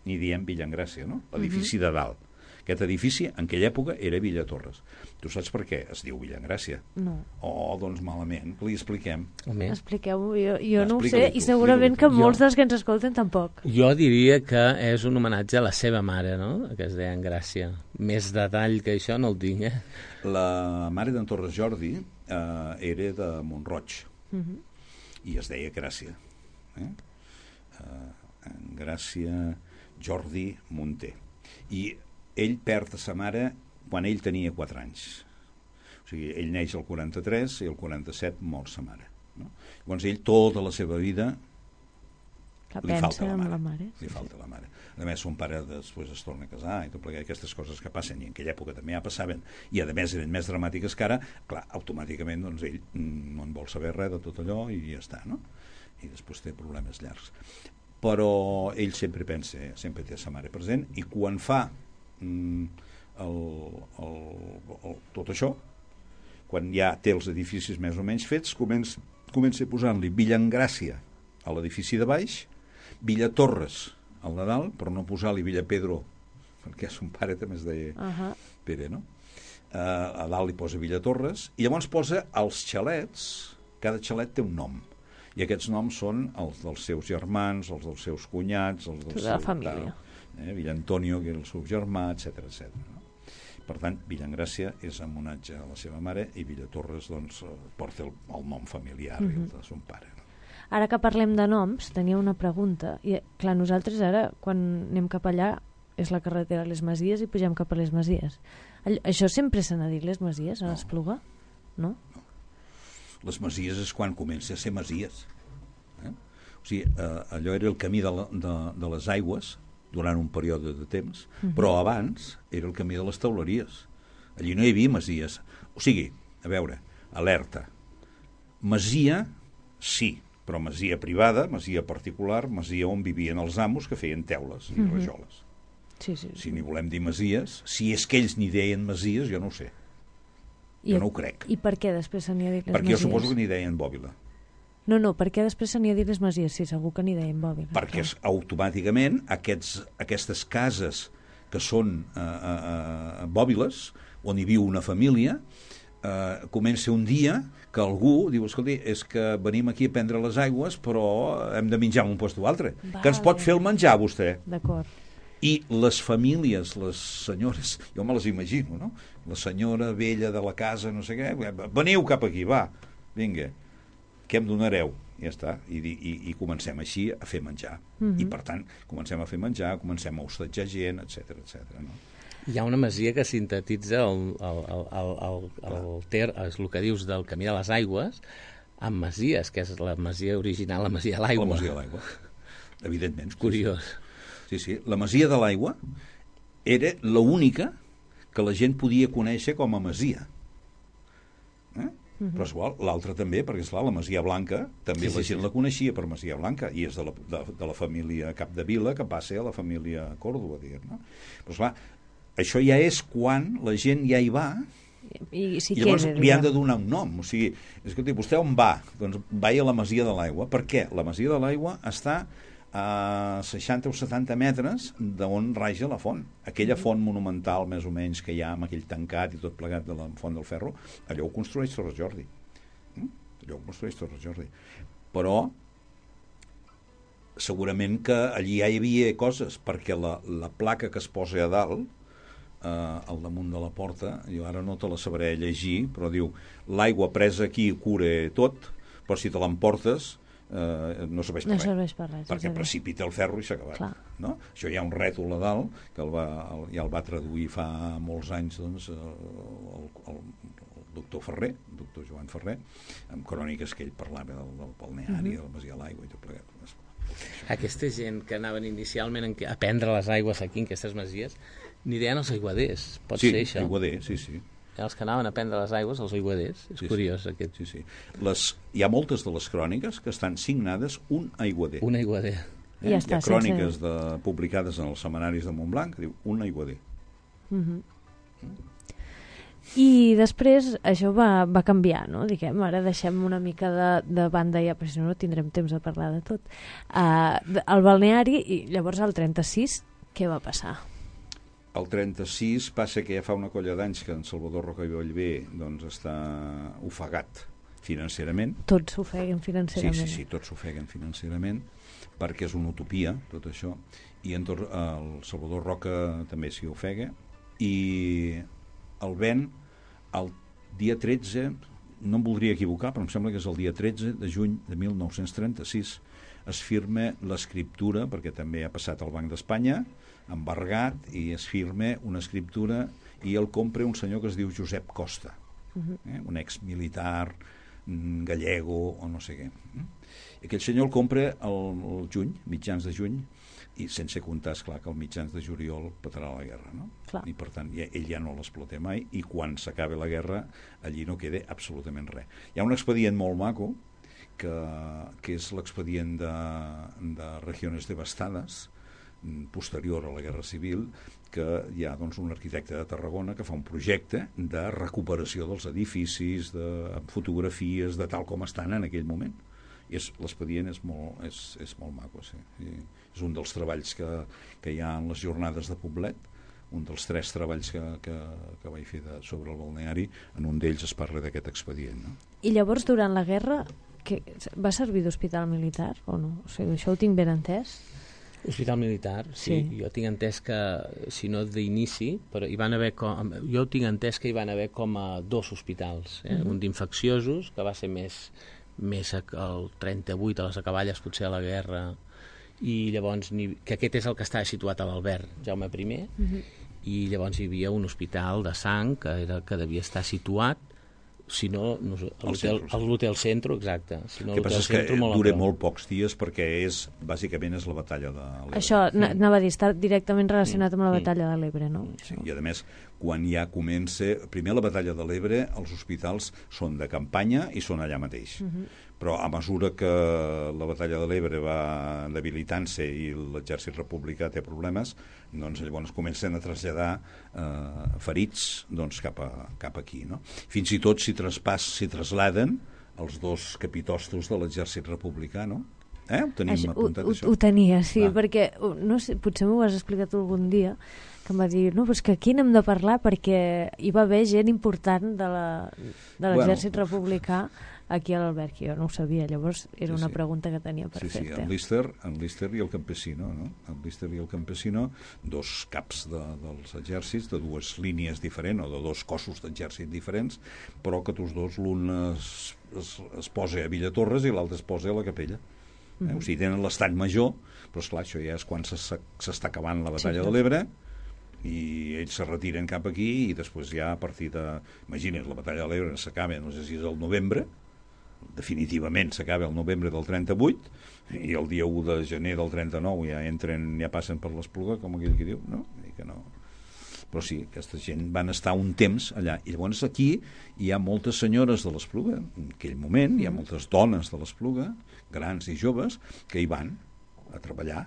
n'hi diem Villaengràcia, no? L'edifici de dalt. Aquest edifici, en aquella època, era Villatorres. Tu saps per què es diu Villaengràcia? No. Oh, doncs malament, que li expliquem. Expliqueu-ho, jo, jo no ho sé, Explica-li tu, i segurament que Jo- molts dels que ens escolten tampoc. Jo diria que és un homenatge a la seva mare, no?, que es deia Engràcia. Més detall que això no el tinc, eh? La mare d'en Torres Jordi eh, era de Montroig, Uh -huh. i es deia Gràcia. Eh? Uh, Gràcia Jordi Munter. I ell perd a sa mare quan ell tenia quatre anys. O sigui, ell neix al quaranta-tres i al quaranta-set mor sa mare. No? Llavors ell tota la seva vida Que li falta pensa la amb mare. la mare. Li falta la mare. A més, son pare després es torna a casar i tot plegat, aquestes coses que passen, i en aquella època també ja passaven, i a més eren més dramàtiques que ara, clar, automàticament doncs, ell mm, no en vol saber res de tot allò i ja està, no? I després té problemes llargs. Però ell sempre pensa, sempre té sa mare present, i quan fa mm, el, el, el, tot això, quan ja té els edificis més o menys fets, comença, comença posant-li Villaengràcia a l'edifici de baix, Villatorres al Nadal, però no posar-li Villapedro, perquè son pare també es deia Uh -huh. Pere, no? Uh, a dalt li posa Villatorres, i llavors posa els xalets, cada xalet té un nom, i aquests noms són els dels seus germans, els dels seus cunyats, els dels Tota la seus, família. Tal, eh? Villa Antonio, que era el seu germà, etcètera, etcètera. No? Per tant, Villaengràcia és en homenatge a la seva mare, i Villatorres doncs, eh, porta el, el nom familiar uh -huh. i el de son pare. No? Ara que parlem de noms, tenia una pregunta. I, clar, nosaltres ara, quan anem cap allà, és la carretera a les Masies i pugem cap a les Masies. All, això sempre se n'ha dit, les Masies, a l'Espluga? No? Les Masies és quan comença a ser Masies. Eh? O sigui, eh, allò era el camí de, la, de, de les aigües durant un període de temps, uh -huh. però abans era el camí de les teuleries. Allí no hi havia Masies. O sigui, a veure, alerta. Masia, sí, però masia privada, masia particular, masia on vivien els amos que feien teules i uh -huh. rajoles. Sí, sí. sí. Si n'hi volem dir masies, si és que ells n'hi deien masies, jo no ho sé. I, Jo no ho crec. I per què després se n'hi ha dit les Perquè Masies? jo suposo que n'hi deien bòbila. No, no, per què després se n'hi ha dit les Masies? Sí, segur que n'hi deien bòbila. Perquè és, automàticament aquests, aquestes cases que són eh, eh, bòbiles, on hi viu una família, eh, comença un dia que algú diu, escolti, és que venim aquí a prendre les aigües, però hem de menjar en un lloc o altre. Vale. Que ens pot fer el menjar, vostè? D'acord. I les famílies, les senyores, jo me les imagino, no? La senyora vella de la casa, no sé què, veniu cap aquí, va, vinga, què em donareu? Ja està, i, i, i comencem així a fer menjar. Mhm. I per tant, comencem a fer menjar, comencem a hostatjar gent, etcètera, etcètera, no? Hi ha una masia que sintetitza el, el, el, el, el, el, ter, és el que dius del Camí de les Aigües amb masies, que és la masia original, la masia de l'aigua. La masia de l'aigua, evidentment. Curiós. Sí, sí, la masia de l'aigua era l'única que la gent podia conèixer com a masia. Eh? Uh-huh. Però és igual, l'altra també, perquè esclar, la Masia Blanca també sí, la gent sí. la coneixia per Masia Blanca, i és de la, de, de la família Capdevila que passa a la família Còrdova, diguem, no? Però esclar, això ja és quan la gent ja hi va i, si i llavors queda, li han de donar un nom. O sigui, escolti, vostè on va? Doncs vaig a la Masia de l'Aigua. Per què? La Masia de l'Aigua està a seixanta o setanta metres d'on raja la font. Aquella font monumental, més o menys, que hi ha amb aquell tancat i tot plegat de la Font del Ferro, allò ho construeix Torres Jordi. Allò ho construeix Torres Jordi. Però segurament que allí ja hi havia coses, perquè la, la placa que es posa a dalt eh, al damunt de la porta, jo ara no te la sabré llegir, però diu, l'aigua presa aquí cura tot, però si te l'emportes eh, no serveix per no res, serveix per res perquè precipita el ferro i s'ha acabat, no? Això hi ha un rètol a dalt que el va, el, ja el va traduir fa molts anys, doncs, el, el, el doctor Ferrer, el doctor Joan Ferrer, amb cròniques que ell parlava del, del balneari, uh-huh. del Masia a l'Aigua i tot plegat. Aquesta gent que anaven inicialment a prendre les aigües aquí en aquestes masies n'hi deien els aiguaders, pot sí, ser això? Sí, aiguader, sí, sí. Els que anaven a prendre les aigües, els aiguaders, és sí, curiós sí. aquest. Sí, sí. Les, hi ha moltes de les cròniques que estan signades un aiguader. Un aiguader. Eh? Ja està, hi ha cròniques sense... de, publicades en els setmanaris de Montblanc que diu un aiguader. Mm-hmm. Mm. I després això va, va canviar, no? Diguem, ara deixem una mica de, de banda ja, perquè si no no tindrem temps de parlar de tot. Uh, el balneari, i llavors al trenta-sis, què va passar? El trenta-sis passa que ja fa una colla d'anys que en Salvador Roca i Bellver doncs, està ofegat financerament. Tots s'ofeguen financerament. Sí, sí, sí, tots s'ofeguen financerament, perquè és una utopia, tot això. I en tot, el Salvador Roca també s'hi ofega. I el ven, el dia tretze, no em voldria equivocar, però em sembla que és el dia tretze de juny de mil nou-cents trenta-sis, es firma l'escriptura, perquè també ha passat al Banc d'Espanya, embargat, i es firma una escriptura i el compra un senyor que es diu Josep Costa, uh-huh. eh? un exmilitar gallego o no sé què. I aquell senyor el compra el, el juny, mitjans de juny, i sense comptar, esclar, que el mitjans de juliol petarà la guerra, no? Clar. I per tant ja, ell ja no l'explota mai, i quan s'acabi la guerra allí no queda absolutament res. Hi ha un expedient molt maco que, que és l'expedient de, de Regiones Devastades, posterior a la Guerra Civil, que hi ha doncs, un arquitecte de Tarragona que fa un projecte de recuperació dels edificis, de fotografies, de tal com estan en aquell moment. I l'expedient és, molt, és, és molt maco, sí. I és un dels treballs que, que hi ha en les jornades de Poblet, un dels tres treballs que, que, que vaig fer de, sobre el balneari, en un d'ells es parla d'aquest expedient. No? I llavors, durant la guerra, que va servir d'hospital militar o no? O sigui, això ho tinc ben entès? Hospital militar, sí. sí. Jo tinc entès que, si no d'inici, però hi van haver com, jo tinc entès que hi van haver com a dos hospitals, eh? Uh-huh. Un d'infecciosos, que va ser més, més el trenta-vuit, a les acaballes, potser a la guerra, i llavors, que aquest és el que estava situat a l'Albert, Jaume I, uh-huh. i llavors hi havia un hospital de sang que, era, que devia estar situat, si no, no a l'Hotel Centro, exacte. Si no, el que passa és que molt dura molt pocs dies perquè és, bàsicament és la batalla de l'Ebre. Això anava a dir, està directament relacionat amb la batalla de l'Ebre, no? Sí, i a més, quan ja comença, primer la batalla de l'Ebre, els hospitals són de campanya i són allà mateix. Uh-huh. Però a mesura que la batalla de l'Ebre va debilitant-se i l'exèrcit republicà té problemes, doncs llavors comencen a traslladar eh, ferits doncs, cap, a, cap aquí. No? Fins i tot s'hi traspàs, s'hi trasladen els dos capitostos de l'exèrcit republicà, no? Eh? Ho tenim això, apuntat, ho, això? Ho tenia, sí, ah. perquè no sé, potser m'ho has explicat algun dia, que em va dir, no, però és que aquí n'hem de parlar perquè hi va haver gent important de l'exèrcit bueno, republicà aquí a l'Albert, que jo no ho sabia, llavors era sí, una sí. pregunta que tenia per sí, fer-te. Sí, en Lister, en Lister i el Campesino, no? En Lister i el Campesino, dos caps de, dels exèrcits, de dues línies diferents, o de dos cossos d'exèrcit diferents, però que tots dos, l'un es, es, es posa a Villatorres i l'altre es posa a la Capella. Eh? Mm-hmm. O sigui, tenen l'estat major, però esclar, això ja és quan s'està acabant la batalla sí, de l'Ebre, i ells se retiren cap aquí i després ja a partir de... Imagina't, la batalla de l'Ebre s'acaba, no sé si és el novembre, definitivament s'acaba el novembre del trenta-vuit i el dia u de gener del trenta-nou ja entren, ja passen per l'Espluga, com aquell que diu, no? I que no. Però sí, aquesta gent van estar un temps allà. I llavors aquí hi ha moltes senyores de l'Espluga, en aquell moment hi ha moltes dones de l'Espluga, grans i joves, que hi van a treballar,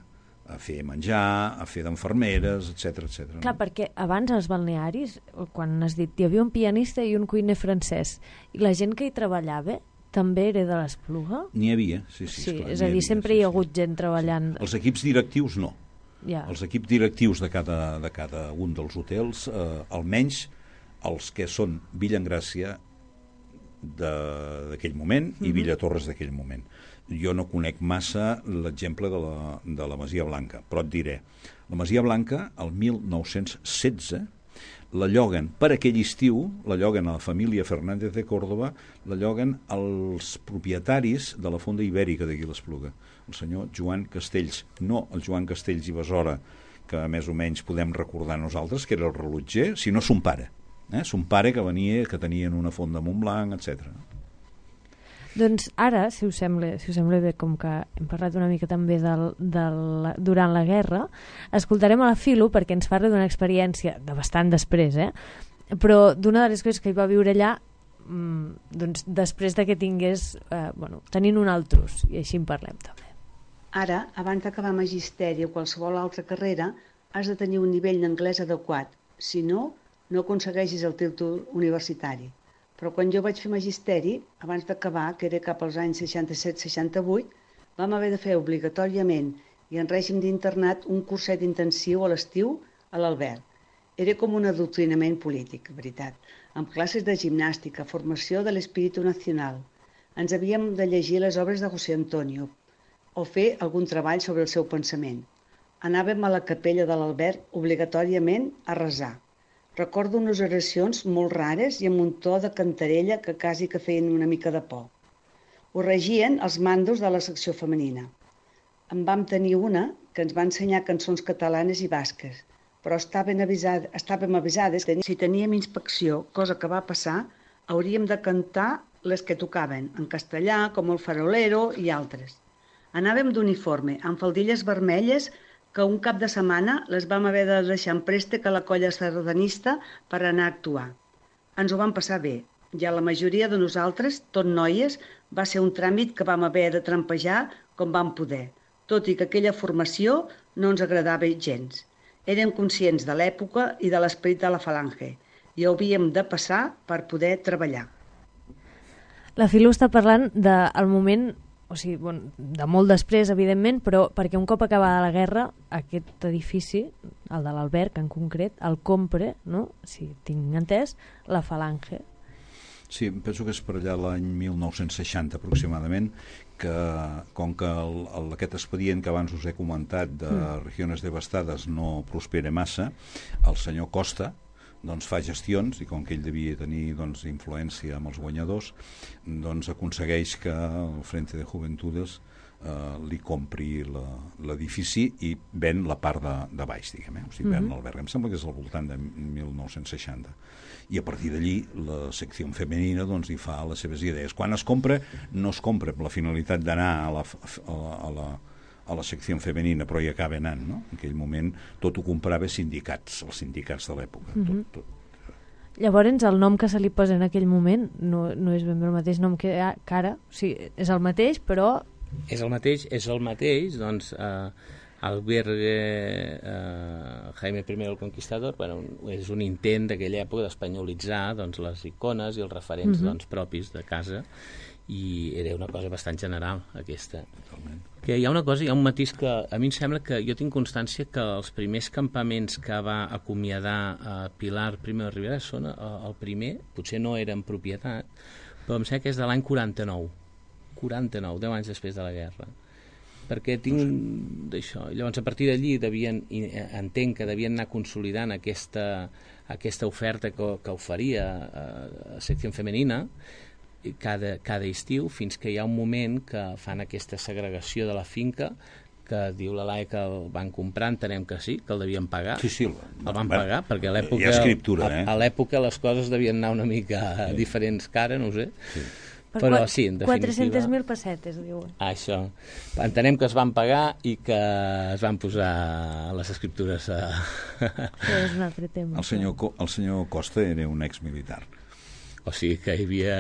a fer menjar, a fer d'enfermeres, etcètera, etcètera. Clar, no? Perquè abans als balnearis, quan has dit, hi havia un pianista i un cuiner francès, i la gent que hi treballava també era de l'Espluga? N'hi havia, sí, sí. Sí, esclar, és a dir, havia, sempre sí, hi ha hagut sí. gent treballant. Sí. Els equips directius no. Ja. Els equips directius de cada, de cada un dels hotels, eh, almenys els que són Villa Engràcia d'aquell moment i mm-hmm. Villatorres d'aquell moment. Jo no conec massa l'exemple de, la, de la Masia Blanca, però et diré, la Masia Blanca, el mil nou-cents setze, la lloguen per aquell estiu, la lloguen a la família Fernández de Córdoba, la lloguen als propietaris de la fonda ibèrica d'aquí l'Espluga, el senyor Joan Castells, no el Joan Castells i Besora, que més o menys podem recordar nosaltres, que era el rellotger, sinó son pare. Eh? Son pare que venia, que tenien una font de Montblanc, etcètera. Doncs ara, si us sembla, si us sembla bé, com que hem parlat una mica també del, del, durant la guerra, escoltarem a la Filo perquè ens parla d'una experiència de bastant després, eh? Però d'una de les coses que hi va viure allà, mmm, doncs després de que tingués, eh, bueno, tenint un altrus, i així en parlem també. Ara, abans d'acabar magisteri o qualsevol altra carrera, has de tenir un nivell d'anglès adequat. Si no, no aconsegueixis el títol universitari. Però quan jo vaig fer magisteri, abans d'acabar, que era cap als anys seixanta-set seixanta-vuit, vam haver de fer obligatòriament i en règim d'internat un curset intensiu a l'estiu a l'Albert. Era com un adoctrinament polític, veritat, amb classes de gimnàstica, formació de l'espíritu nacional. Ens havíem de llegir les obres de José Antonio o fer algun treball sobre el seu pensament. Anàvem a la capella de l'Albert obligatòriament a resar. Recordo unes oracions molt rares i amb un to de cantarella que quasi que feien una mica de por. Ho regien els mandos de la secció femenina. En vam tenir una que ens va ensenyar cançons catalanes i basques, però estaven avisades, estàvem avisades que si teníem inspecció, cosa que va passar, hauríem de cantar les que tocaven, en castellà, com el farolero i altres. Anàvem d'uniforme, amb faldilles vermelles, que un cap de setmana les vam haver de deixar en préstec a la colla sardanista per anar a actuar. Ens ho vam passar bé. Ja la majoria de nosaltres, tot noies, va ser un tràmit que vam haver de trampejar com vam poder, tot i que aquella formació no ens agradava gens. Érem conscients de l'època i de l'esperit de la falange i havíem de passar per poder treballar. La Filo està parlant del moment, o sigui, bueno, de molt després, evidentment, però perquè un cop acabada la guerra, aquest edifici, el de l'Alberg en concret, el compra, no? Si tinc entès, la Falange. Sí, penso que és per allà l'any mil nou-cents seixanta aproximadament, que com que el, el, aquest expedient que abans us he comentat de mm. regions devastades no prospera massa, el senyor Costa doncs fa gestions, i com que ell devia tenir doncs, influència amb els guanyadors, doncs aconsegueix que el Frente de Juventudes eh, li compri l'edifici i ven la part de, de baix, diguem, eh? O sigui, ven mm-hmm. l'alberg. Em sembla que és al voltant de mil nou-cents seixanta. I a partir d'allí la secció femenina doncs, hi fa les seves idees. Quan es compra, no es compra amb la finalitat d'anar a la, a la, a la a la secció femenina, però hi acaba anant, no? En aquell moment tot ho comprava sindicats, els sindicats de l'època. Mm-hmm. tot, tot. Llavors, el nom que se li posa en aquell moment no, no és ben bé el mateix nom que ara, o sigui, és el mateix, però... És el mateix, és el mateix, doncs, eh, Albergue eh, Jaime I el Conquistador, bueno, és un intent d'aquella època d'espanyolitzar doncs, les icones i els referents mm-hmm. doncs, propis de casa, i era una cosa bastant general aquesta. Totalment. Que hi ha una cosa, hi ha un matís que a mi em sembla que jo tinc constància que els primers campaments que va acomiadar a Pilar Primo de Rivera són el primer, potser no era en propietat, però em sembla que és de l'any quaranta-nou, quaranta-nou, deu anys després de la guerra, perquè tinc un d'això. Llavors a partir d'allí devien, entenc que devien anar consolidant aquesta, aquesta oferta que, que oferia a, a secció femenina, Cada, cada estiu, fins que hi ha un moment que fan aquesta segregació de la finca, que diu la Laia que el van comprar, entenem que sí, que el devien pagar. Sí, sí. El, el van bueno, pagar, perquè a l'època, hi ha escriptura, eh? a, a l'època les coses devien anar una mica sí. diferents que ara, no ho sé. Sí. Per Però sí, en definitiva... quatre-centes mil pessetes, diuen. Això. Entenem que es van pagar i que es van posar les escriptures a... Això és un altre tema. El senyor, el senyor Costa era un exmilitar. O sigui que hi havia,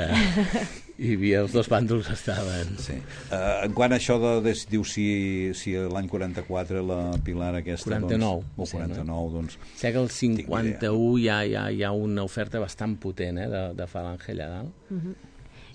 hi havia els dos bàndols estaven... Sí. Uh, en quant a això de, de diu si, si l'any quaranta-quatre la Pilar aquesta... quaranta-nou. Doncs, o quaranta-nou, doncs... Sé que el cinquanta-u hi ha, hi, ha, hi ha una oferta bastant potent eh, de, de Falange allà dalt. Uh-huh.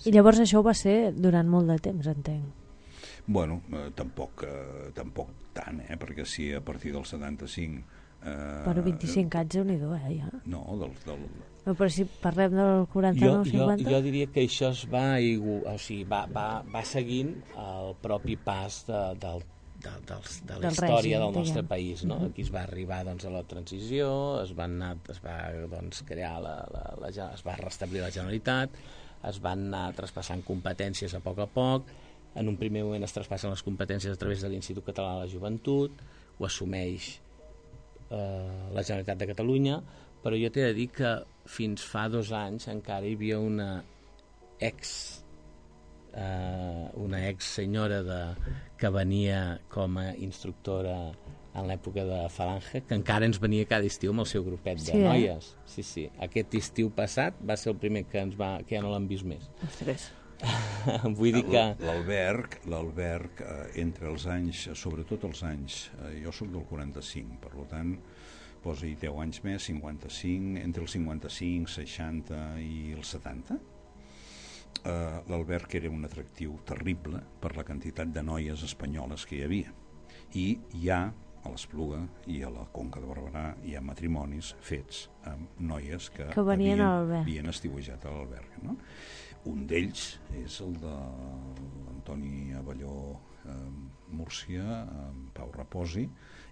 I llavors això va ser durant molt de temps, entenc. Bueno, eh, tampoc, eh, tampoc tant, eh, perquè si a partir del setanta-cinc... Eh, Però vint-i-cinc anys, déu-n'hi-do, eh, ja. No, del... del no, però si parlem del quaranta-nou cinquanta... Jo, jo, jo diria que això es va, o sigui, va, va, va seguint el propi pas de, del, de, de, de la Del història règim, del nostre diguem. país, no? Aquí es va arribar doncs, a la transició, es va, anar, es va doncs, crear la, la, la, es va restablir la Generalitat, es van anar traspassant competències a poc a poc. En un primer moment es traspassen les competències a través de l'Institut Català de la Joventut, ho assumeix eh, la Generalitat de Catalunya, però jo t'he de dir que fins fa dos anys encara hi havia una ex eh, una ex senyora de, que venia com a instructora en l'època de Falange, que encara ens venia cada estiu amb el seu grupet de sí, eh? noies. Sí, sí. Aquest estiu passat va ser el primer que ens va, que ja no l'hem vist més. Ostres. Vull dir que... L'alberg, l'alberg eh, entre els anys, sobretot els anys, eh, jo sóc del quaranta-cinc, per tant, posa-hi deu anys més, cinquanta-cinc, entre els cinquanta-cinc, seixanta i els setanta, eh, l'alberg era un atractiu terrible per la quantitat de noies espanyoles que hi havia. I hi ha, a l'Espluga i a la Conca de Barberà, hi ha matrimonis fets amb noies que, que venien havien, havien estiuejat a l'alberg, no? Un d'ells és el de l'Antoni Abelló eh, Múrcia, eh, Pau Raposi,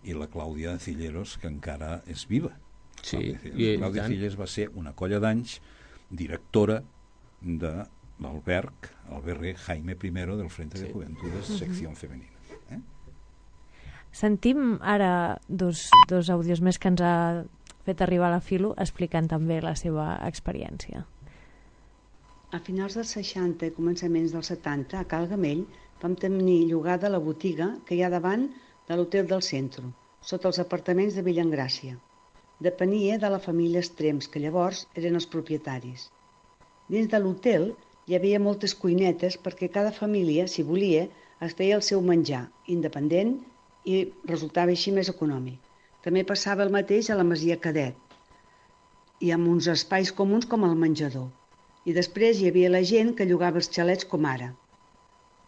i la Clàudia Cilleros, que encara és viva. Sí, Clàudia, Clàudia Cilleros va ser una colla d'anys directora de l'alberg, albergue Jaime I del Frente sí. de Juventudes, secció femenina. Eh? Sentim ara dos, dos àudios més que ens ha fet arribar la Filo explicant també la seva experiència. A finals dels seixanta i començaments dels setanta, a Cal Gamell, vam tenir llogada la botiga que hi ha davant de l'Hotel del Centro, sota els apartaments de Villangràcia. Depenia de la família Estrems, que llavors eren els propietaris. Dins de l'hotel hi havia moltes cuinetes perquè cada família, si volia, es feia el seu menjar, independent, i resultava així més econòmic. També passava el mateix a la Masia Cadet, i amb uns espais comuns com el menjador. I després hi havia la gent que llogava els xalets com ara.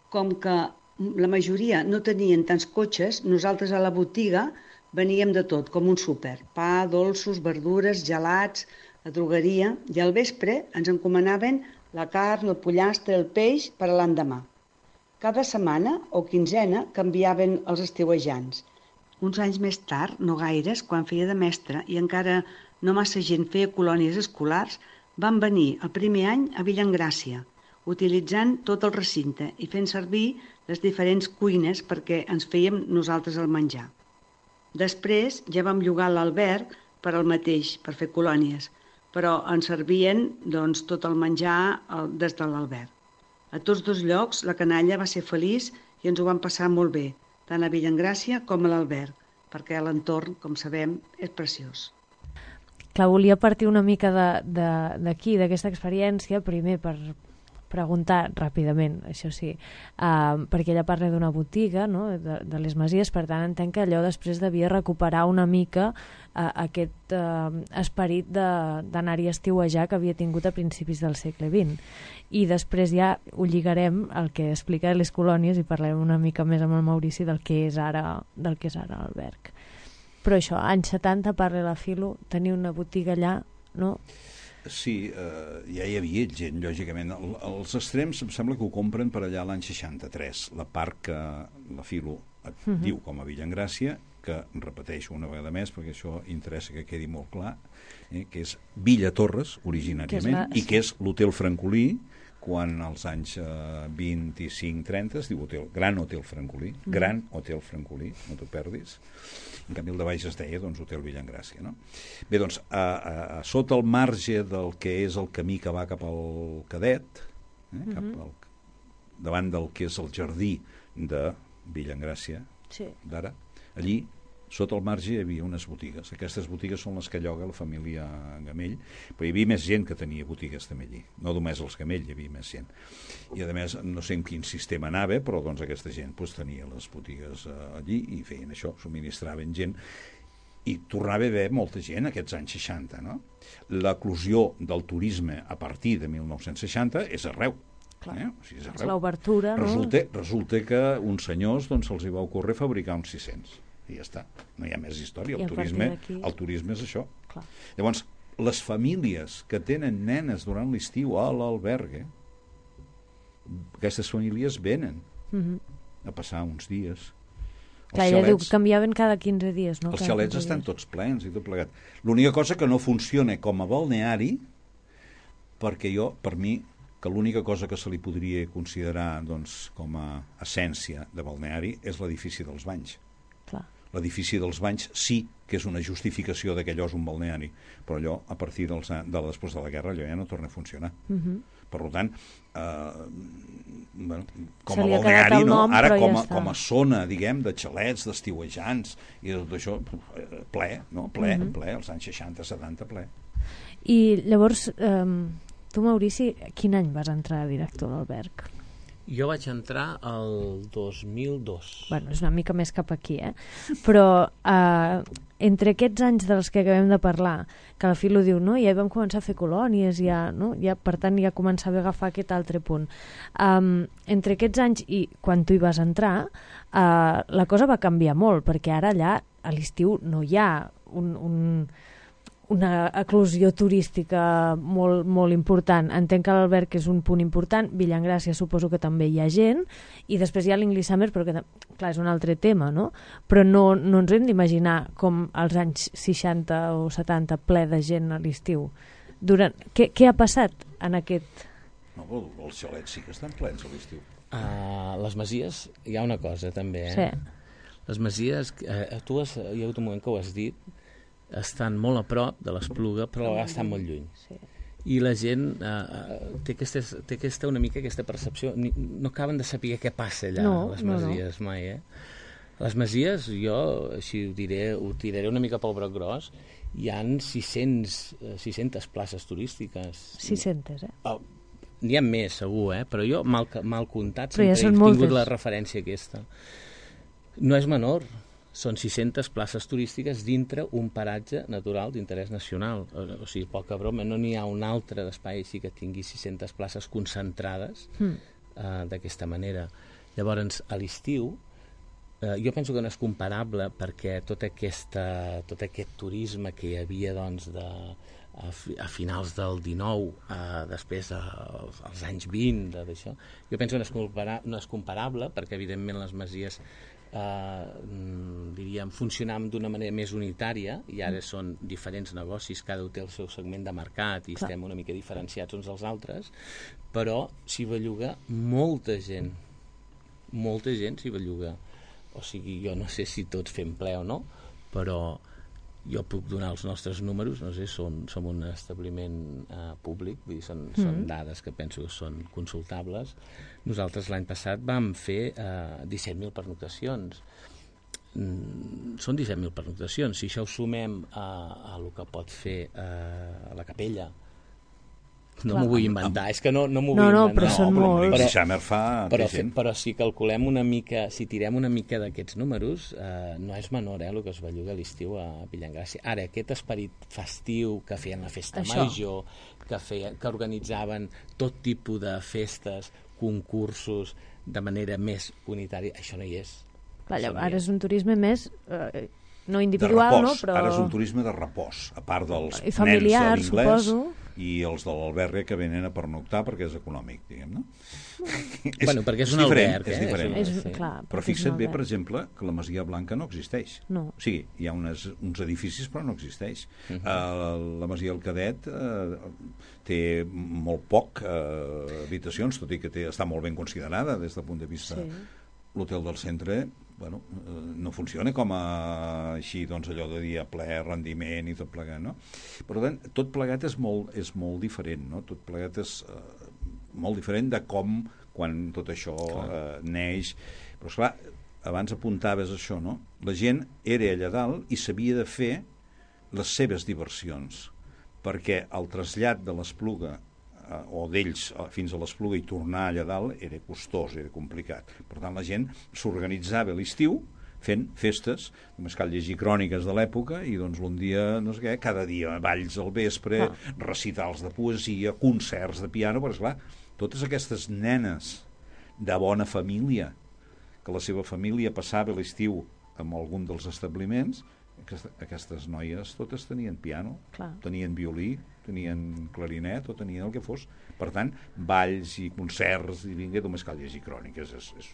Com que la majoria no tenien tants cotxes, nosaltres a la botiga veníem de tot, com un súper. Pa, dolços, verdures, gelats, a drogueria, i al vespre ens encomanaven la carn, el pollastre, el peix per a l'endemà. Cada setmana o quinzena canviaven els estiuejants. Uns anys més tard, no gaires, quan feia de mestre i encara no massa gent feia colònies escolars, van venir el primer any a Villangràcia, utilitzant tot el recinte i fent servir les diferents cuines perquè ens fèiem nosaltres el menjar. Després ja vam llogar l'alberg per al mateix, per fer colònies, però ens servien doncs, tot el menjar des de l'alberg. A tots dos llocs la canalla va ser feliç i ens ho vam passar molt bé, tant a Villangràcia com a l'alberg, perquè l'entorn, com sabem, és preciós. Clar, volia partir una mica d'aquí, d'aquesta experiència, primer per preguntar ràpidament, això sí, uh, perquè ella parla d'una botiga, no?, de, de les Masies, per tant entenc que allò després devia recuperar una mica uh, aquest uh, esperit d'anar-hi a estiuejar que havia tingut a principis del segle vint. I després ja ho lligarem al que explica les colònies i parlarem una mica més amb el Maurici del que és ara, del que és ara l'alberg. Però això, anys setanta, parla la Filo, tenir una botiga allà, no? Sí, eh, ja hi havia gent, lògicament. El, els Estrems em sembla que ho compren per allà l'any seixanta-tres. La part que la Filo et uh-huh. diu com a Villangràcia, que repeteixo una vegada més perquè això interessa que quedi molt clar, eh, que és Villa Torres, originàriament, que la... i que és l'Hotel Francolí, quan als anys eh, vint-i-cinc trenta es diu hotel, Gran Hotel Francolí, mm. Gran Hotel Francolí, no t'ho perdis. En canvi el de baix es deia doncs, Hotel Villangràcia, no? Bé, doncs, a, a, a sota el marge del que és el camí que va cap al Cadet, eh, mm-hmm. cap al, davant del que és el jardí de Villangràcia, sí. d'ara, allí, sota el marge hi havia unes botigues. Aquestes botigues són les que lloga la família Gamell, però hi havia més gent que tenia botigues també allí. No només els Gamell, hi havia més gent. I a més, no sé en quin sistema anava, però doncs aquesta gent doncs, tenia les botigues uh, allí i feien això, subministraven gent. I tornava a haver molta gent aquests anys seixanta, no? L'eclosió del turisme a partir de mil nou-cents seixanta és arreu. Clar. Eh? O sigui, és arreu. L'obertura, no? Resulta, resulta que uns senyors doncs, se'ls hi va ocórrer fabricar uns sis-cents. I ja està, no hi ha més història. El turisme, el turisme és això. Clar. Llavors, les famílies que tenen nenes durant l'estiu a l'albergue, aquestes famílies venen mm-hmm. a passar uns dies Clar, ella diu que canviaven cada quinze dies, no? Els Cada xalets quinze estan dies. tots plens i tot plegat. L'única cosa que no funciona com a balneari, perquè jo, per mi, que l'única cosa que se li podria considerar doncs, com a essència de balneari és l'edifici dels banys. Clar. L'edifici dels banys sí que és una justificació de que allò és un balneari, però allò, a partir dels, de després de la guerra, allò ja no torna a funcionar. Uh -huh. Per tant, eh, bueno, com Se a li ha quedat balneari, el no? nom, Ara però com ja a, està. com a zona, diguem, de xalets, d'estiuejants i de tot això, eh, ple, no? Ple, uh -huh. ple, als anys seixanta, setanta, ple. I llavors, eh, tu, Maurici, quin any vas entrar a director a l'Alberg? Jo vaig entrar el dos mil dos. Bueno, és una mica més cap aquí, eh? Però eh, entre aquests anys dels que acabem de parlar, que la Filo diu, no? Ja hi vam començar a fer colònies, ja, no? Ja, per tant, ja començava a agafar aquest altre punt. Um, entre aquests anys i quan tu hi vas entrar, uh, la cosa va canviar molt, perquè ara allà, a l'estiu, no hi ha un... un una eclosió turística molt, molt important. Entenc que l'Alberg és un punt important, Villangràcia suposo que també hi ha gent, i després hi ha l'English Summer, però que, clar, és un altre tema, no? Però no, no ens hem d'imaginar com als anys seixanta o setanta ple de gent a l'estiu. Durant... Què, què ha passat en aquest... No, però els xalets sí que estan plens a l'estiu. Uh, les masies, hi ha una cosa també, eh? Sí. Les masies, eh, tu has, hi ha hagut un moment que ho has dit, estan molt a prop de l'Espluga, però estan molt lluny. Sí. I la gent eh, té, aquesta, té aquesta, una mica aquesta percepció, ni, no acaben de saber què passa allà, no, a les no, masies, no. mai, eh? Les masies, jo, així ho diré, ho tiraré una mica pel broc gros, hi han sis centes places turístiques. sis centes, eh? Oh, n'hi ha més, segur, eh? Però jo, mal, mal comptat, però ja sempre he moltes. tingut la referència aquesta. No és menor. Són sis centes places turístiques dintre un paratge natural d'interès nacional. O sigui, poca broma, no n'hi ha un altre d'espai així que tingui sis centes places concentrades mm. uh, d'aquesta manera. Llavors, a l'estiu, uh, jo penso que no és comparable perquè tot, aquesta, tot aquest turisme que hi havia doncs, de, a, fi, a finals del dinou, uh, després dels de, als anys vint, d'això, jo penso que no és, compara, no és comparable perquè, evidentment, les masies Uh, diríem, funcionàvem d'una manera més unitària i ara són diferents negocis, cada un té el seu segment de mercat i Clar. estem una mica diferenciats uns dels altres, però s'hi belluga molta gent, molta gent s'hi belluga. O sigui, jo no sé si tots fem ple o no, però jo puc donar els nostres números, no sé, som, som un establiment uh, públic, vull dir, són, mm. són dades que penso que són consultables. Nosaltres l'any passat vam fer uh, disset mil pernoctacions. Mm, són disset mil pernoctacions. Si això ho sumem a, a el que pot fer uh, a la capella, no m'ho vull inventar, és que no, no m'ho no, vull no, inventar. però no, són però molts. Però, Summer fa però, gent. però si calculem una mica, si tirem una mica d'aquests números, eh, no és menor eh, el que es belluga a l'estiu a Villangràcia. Ara, aquest esperit festiu que feien la festa Això. major, que, feien, que organitzaven tot tipus de festes, concursos, de manera més unitària, això no hi és. Clar, Això no ara hi és un turisme més... Eh, no de individual, repòs. no? Però... Ara és un turisme de repòs, a part dels I familiar, nens de l'inglès suposo. i els de l'albergue que venen a pernoctar perquè és econòmic, diguem, no? és, Bueno, perquè és un diferent, alberg, és eh? diferent. És, Sí. clar, Però perquè és un fixa't bé, alberg. per exemple, que la Masia Blanca no existeix. No. O sigui, hi ha unes, uns edificis però no existeix. Uh -huh. uh, la Masia del Cadet uh, té molt poc uh, habitacions, tot i que té, està molt ben considerada des del punt de vista... Sí. L'hotel del centre, bueno, no funciona com a així, doncs allò de dia ple, rendiment i tot plegat, no? Per tant, tot plegat és molt, és molt diferent, no? Tot plegat és eh, molt diferent de com quan tot això eh, neix. Però, esclar, abans apuntaves això, no? La gent era allà dalt i s'havia de fer les seves diversions, perquè el trasllat de l'Espluga o d'ells fins a l'Espluga i tornar allà dalt era costós, era complicat. Per tant, la gent s'organitzava a l'estiu fent festes, només cal llegir cròniques de l'època i doncs un dia, no sé què, cada dia balls al vespre, ah. recitals de poesia, concerts de piano, però esclar, totes aquestes nenes de bona família, que la seva família passava l'estiu en algun dels establiments, aquestes noies totes tenien piano, Clar. tenien violí, tenien clarinet o tenien el que fos. Per tant, balls i concerts, i vinga, només cal llegir cròniques. És, és...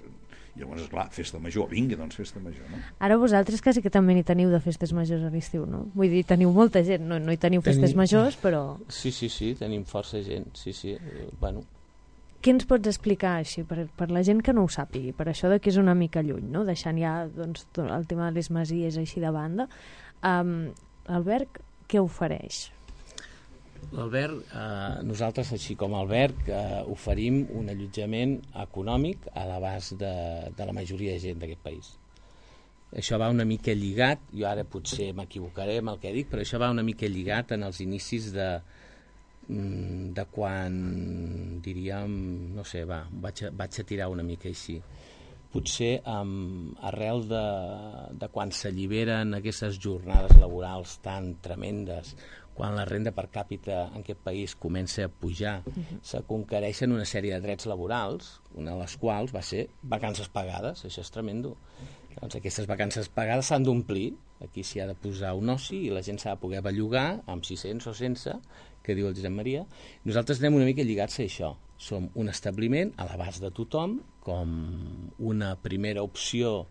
I llavors, esclar, festa major, vinga, doncs festa major, no? Ara vosaltres quasi que també n'hi teniu de festes majors a l'estiu, no? Vull dir, teniu molta gent, no, no hi teniu festes Tenim... majors, però... Sí, sí, sí, tenim força gent, sí, sí, eh, bueno... Què ens pots explicar així, per, per la gent que no ho sàpigui, per això de que és una mica lluny, no? Deixant ja doncs, el tema de les masies així de banda, um, l'alberg què ofereix? L'alberg, eh, nosaltres, així com a alberg, eh, oferim un allotjament econòmic a l'abast de, de la majoria de gent d'aquest país. Això va una mica lligat, jo ara potser m'equivocaré amb el que dic, però això va una mica lligat en els inicis de de quan, diríem, no sé, va, vaig a, vaig a tirar una mica així. Potser um, arrel de, de quan s'alliberen aquestes jornades laborals tan tremendes, quan la renda per càpita en aquest país comença a pujar, uh-huh. se conquereixen una sèrie de drets laborals, una de les quals va ser vacances pagades, això és tremendo. Doncs aquestes vacances pagades s'han d'omplir, aquí s'hi ha de posar un oci i la gent s'ha de poder bellugar amb sis-cents o sense, que diu el Josep Maria. Nosaltres anem una mica lligats a això. Som un establiment a l'abast de tothom, com una primera opció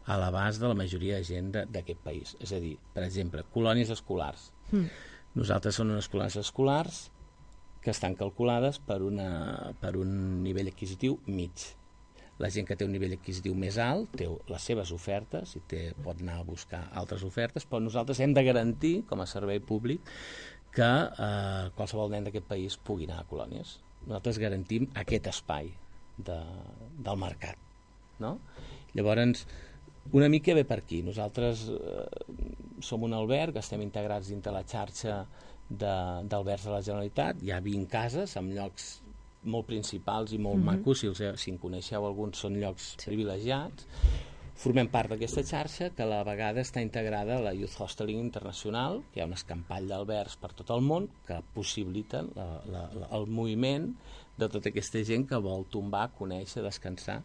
a l'abast de la majoria de gent d'aquest país. És a dir, per exemple, colònies escolars. Mm. Nosaltres som unes colònies escolars que estan calculades per, una, per un nivell adquisitiu mig. La gent que té un nivell adquisitiu més alt té les seves ofertes i té, pot anar a buscar altres ofertes, però nosaltres hem de garantir, com a servei públic, que eh, qualsevol nen d'aquest país pugui anar a colònies. Nosaltres garantim aquest espai de, del mercat, no? Llavors, una mica ve per aquí. Nosaltres eh, som un alberg, estem integrats dintre la xarxa d'albergs de, de la Generalitat, hi ha vint cases amb llocs molt principals i molt mm-hmm. macos, si, els, si en coneixeu alguns són llocs sí. privilegiats. Formem part d'aquesta xarxa que a la vegada està integrada a la Youth Hosteling Internacional, que hi ha un escampall d'albergs per tot el món que possibiliten la, la, la, el moviment de tota aquesta gent que vol tombar, conèixer, descansar.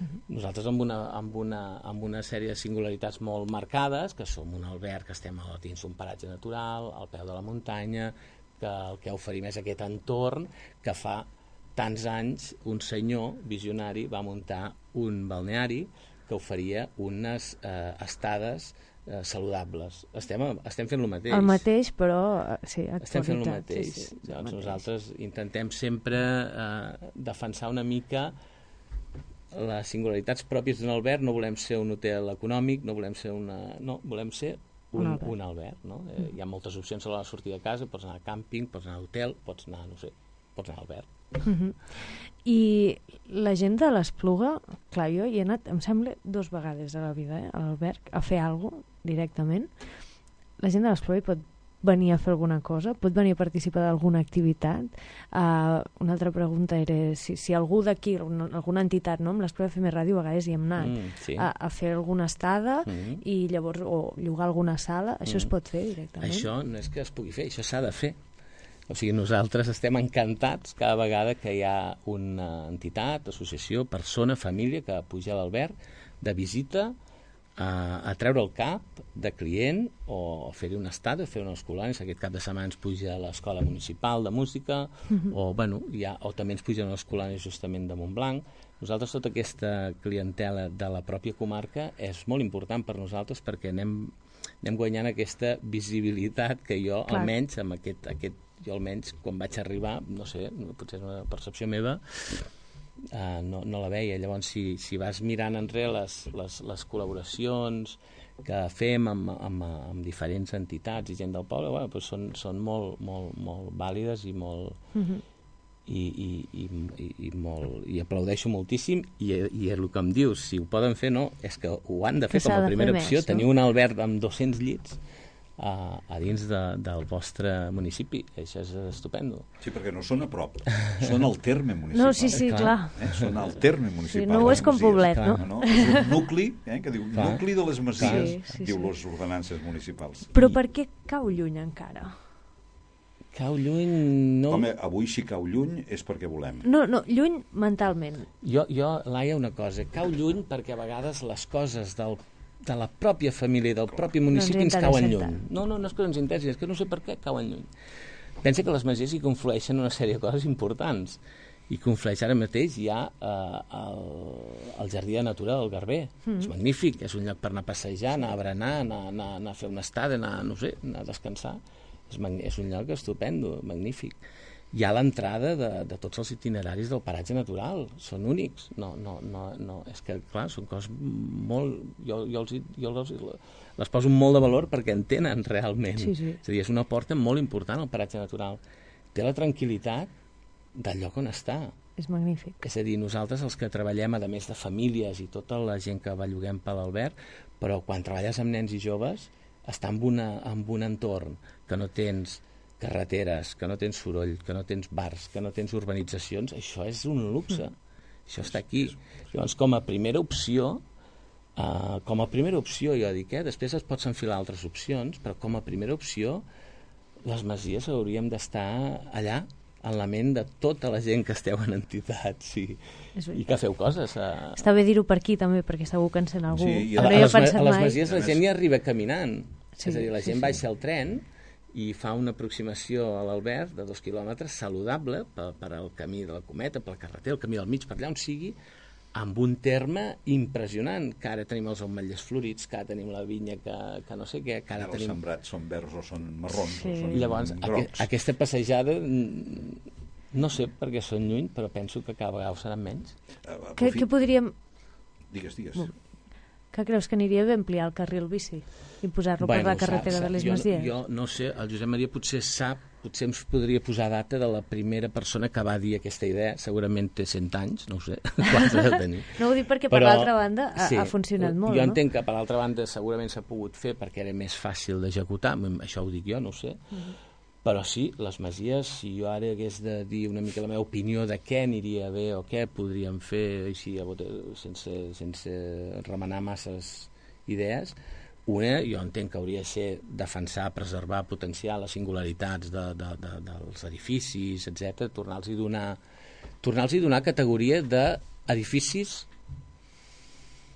Uh-huh. Nosaltres amb una, amb, una, amb una sèrie de singularitats molt marcades, que som un alberg que estem a dins d'un paratge natural, al peu de la muntanya, que el que oferim és aquest entorn que fa tants anys un senyor visionari va muntar un balneari que oferia unes eh, estades eh, saludables. Estem, estem fent el mateix. El mateix, però sí, actualitat. Estem fent el mateix. Sí, sí, Llavors, mateix. Nosaltres intentem sempre eh, defensar una mica les singularitats pròpies d'un alberg. No volem ser un hotel econòmic, no volem ser una... No, volem ser un, un alberg. Un alberg no? eh, hi ha moltes opcions a l'hora de sortir de casa, pots anar a càmping, pots anar a hotel, pots anar, no sé, pots anar a alberg. Uh-huh. I la gent de l'Espluga, clar, jo hi he anat, em sembla, dos vegades a la vida, eh, a l'alberg, a fer alguna cosa directament. La gent de l'Espluga hi pot venir a fer alguna cosa, pot venir a participar d'alguna activitat. Uh, una altra pregunta era si, si algú d'aquí, alguna, alguna entitat, no? Amb l'Espluga F M Ràdio a vegades hi hem anat mm, sí. a, a fer alguna estada mm. i llavors, o llogar alguna sala, això mm. es pot fer directament? Això no és que es pugui fer, això s'ha de fer. O sigui, nosaltres estem encantats cada vegada que hi ha una entitat, associació, persona, família que puja a l'alberg de visita a, a treure el cap de client o a fer-hi una estada, a fer unes colònies. Aquest cap de setmana ens puja a l'Escola Municipal de Música uh-huh. o, bueno, ja, o també ens pugen a les colònies justament de Montblanc. Nosaltres, tota aquesta clientela de la pròpia comarca és molt important per nosaltres perquè anem, anem guanyant aquesta visibilitat que jo, Clar. almenys, amb aquest, aquest jo almenys quan vaig arribar, no sé, potser és una percepció meva, uh, no, no la veia. Llavors, si, si vas mirant enrere les, les, les col·laboracions que fem amb, amb, amb diferents entitats i gent del poble, bueno, doncs són, són molt, molt, molt vàlides i molt... Uh-huh. I, i, i, i, i, molt, i aplaudeixo moltíssim i, i el que em dius, si ho poden fer, no, és que ho han de fer com a primera opció, tenir un alberg amb dos-cents llits A, a dins de, del vostre municipi. Això és estupendo. Sí, perquè no són a prop, són al terme municipal. No, sí, sí, eh, clar. Eh? Són al terme municipal. Sí, no ho és com Poblet, no? no? És un nucli, eh, que diu clar. nucli de les Masies, sí, sí, diu sí. les ordenances municipals. Però per què cau lluny encara? Cau lluny... No... Home, avui si cau lluny és perquè volem. No, no, lluny mentalment. Jo, jo Laia, una cosa, cau lluny perquè a vegades les coses del de la pròpia família i del propi municipi no ens, ens cauen lluny. No, no, no és que no ens interessi, és que no sé per què cauen lluny. pensa que les masies hi conflueixen una sèrie de coses importants. I conflueix ara mateix hi ha eh, el, el Jardí de Natura del Garber. Mm. És magnífic, és un lloc per anar a passejar, anar a berenar, anar, anar, anar a fer una estada, anar, no sé, anar a descansar. És, és un lloc estupendo, magnífic. Hi ha l'entrada de, de tots els itineraris del paratge natural, són únics. No, no, no, no. És que, clar, són coses molt... Jo, jo, els, jo els, les poso molt de valor perquè en tenen realment. Sí, sí. És a dir, és una porta molt important al paratge natural. Té la tranquil·litat del lloc on està. És magnífic. És a dir, nosaltres els que treballem, a més de famílies i tota la gent que belluguem per l'Albert, però quan treballes amb nens i joves, estar en, una, en un entorn que no tens carreteres, que no tens soroll, que no tens bars, que no tens urbanitzacions, això és un luxe. Mm. Això està aquí. Llavors, com a primera opció, uh, com a primera opció, jo dic, eh, després es pots enfilar altres opcions, però com a primera opció, les masies hauríem d'estar allà, en la ment de tota la gent que esteu en entitats i, i que feu coses. A... Està bé dir-ho per aquí també, perquè segur que encén algú. Sí, a, no a, hi les, a les mai. masies la gent hi arriba caminant. Sí, és a dir, la gent sí, sí. baixa al tren i fa una aproximació a l'Albert de dos quilòmetres saludable per, per al camí de la Cometa, pel carreter, el camí del mig, per allà on sigui, amb un terme impressionant, que ara tenim els ametllers florits, que ara tenim la vinya que, que no sé què, que ara els tenim... sembrats són verds o són marrons Sí. o són Llavors, grocs. aqu aquesta passejada, no sé per què són lluny, però penso que cada vegada ho seran menys. Uh, Què, què podríem... Digues, digues. Què creus que aniria bé ampliar el carril bici i posar-lo per la carretera sap, de les jo, Masies? Jo no sé, el Josep Maria potser sap, potser ens podria posar data de la primera persona que va dir aquesta idea, segurament té cent anys, no ho sé, quants deu tenir. No ho dic perquè, per Però, l'altra banda, ha, sí, ha funcionat molt, jo no? entenc que, per l'altra banda, segurament s'ha pogut fer perquè era més fàcil d'executar, això ho dic jo, no ho sé, mm-hmm. Però sí, les masies, si jo ara hagués de dir una mica la meva opinió de què aniria bé o què podríem fer així, sense, sense remenar masses idees, una, jo entenc que hauria de ser defensar, preservar, potenciar les singularitats de, de, de, dels edificis, etcètera, tornar-los a donar, tornar-los a donar categoria d'edificis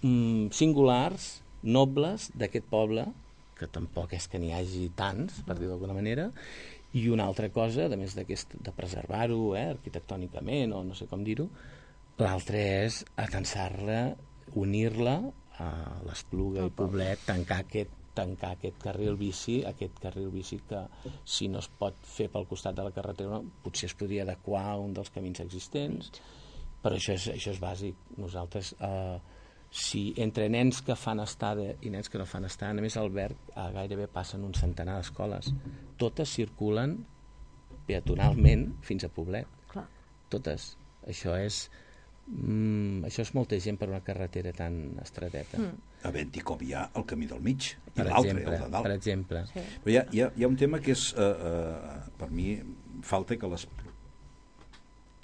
mm, singulars, nobles d'aquest poble, que tampoc és que n'hi hagi tants, per dir d'alguna manera, i una altra cosa, a més de preservar-ho eh, arquitectònicament, o no sé com dir-ho, l'altra és atensar-la, unir-la a l'Espluga i Poblet, tancar aquest, tancar aquest carril bici, aquest carril bici que si no es pot fer pel costat de la carretera, potser es podria adequar a un dels camins existents, però això és, això és bàsic. Nosaltres, eh, si entre nens que fan estada i nens que no fan estada, només al Alberg eh, gairebé passen un centenar d'escoles. Totes circulen peatonalment fins a Poblet. Clar. Totes. Això és, mm, això és molta gent per una carretera tan estreteta. Mm. Havent-hi com hi ha el camí del mig i Per l'altre, exemple, el de dalt. per exemple. Sí. Però hi ha, hi, ha, hi ha un tema que és, eh, eh, per mi, falta que les...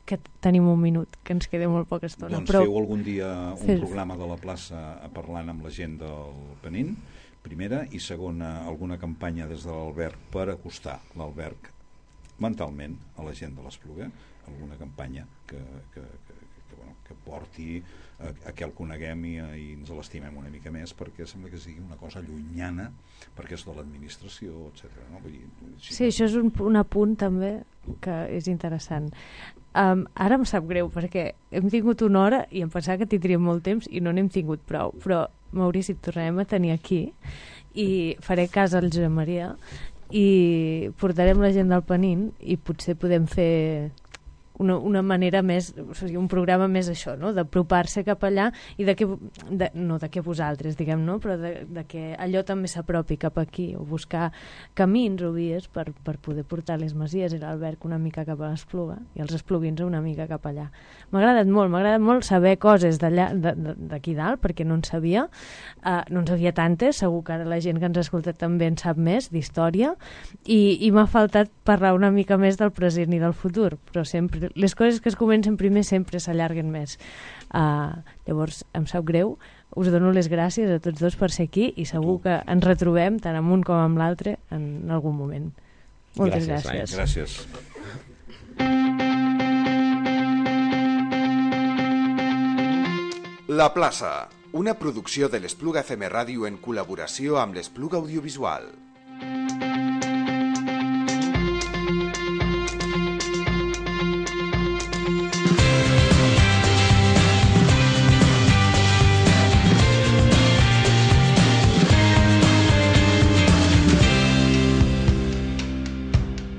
Que tenim un minut, que ens queda molt poca estona. Doncs però... feu algun dia un Fes... programa de la plaça parlant amb la gent del Penin, primera, i segona, alguna campanya des de l'Alberg per acostar l'Alberg mentalment a la gent de l'Espluga, alguna campanya que, que, que, que, bueno, que porti a, a que el coneguem i, i ens l'estimem una mica més, perquè sembla que sigui una cosa llunyana, perquè és de l'administració, etcètera. No? Vull dir, si sí, no... això és un, un apunt també que és interessant. Um, ara em sap greu perquè hem tingut una hora i em pensava que tindríem molt temps i no n'hem tingut prou, però Maurici, et tornarem a tenir aquí i faré cas al Josep Maria i portarem la gent del Penin i potser podem fer una, una manera més, o sigui, un programa més això, no? D'apropar-se cap allà i de que, de, no de que vosaltres, diguem, no? Però de, de que allò també s'apropi cap aquí, o buscar camins o vies per, per poder portar les Masies i l'Alberg una mica cap a l'Espluga i els espluguins una mica cap allà. M'ha agradat molt, m'ha agradat molt saber coses d'allà, d'aquí dalt, perquè no en sabia, uh, no en sabia tantes, segur que ara la gent que ens ha escoltat també en sap més d'història, i, i m'ha faltat parlar una mica més del present i del futur, però sempre les coses que es comencen primer sempre s'allarguen més. Uh, llavors, em sap greu, us dono les gràcies a tots dos per ser aquí i segur que ens retrobem tant amb un com amb l'altre en algun moment. Moltes gràcies. Gràcies. La plaça, una producció de l'Espluga F M Ràdio en col·laboració amb l'Espluga Audiovisual.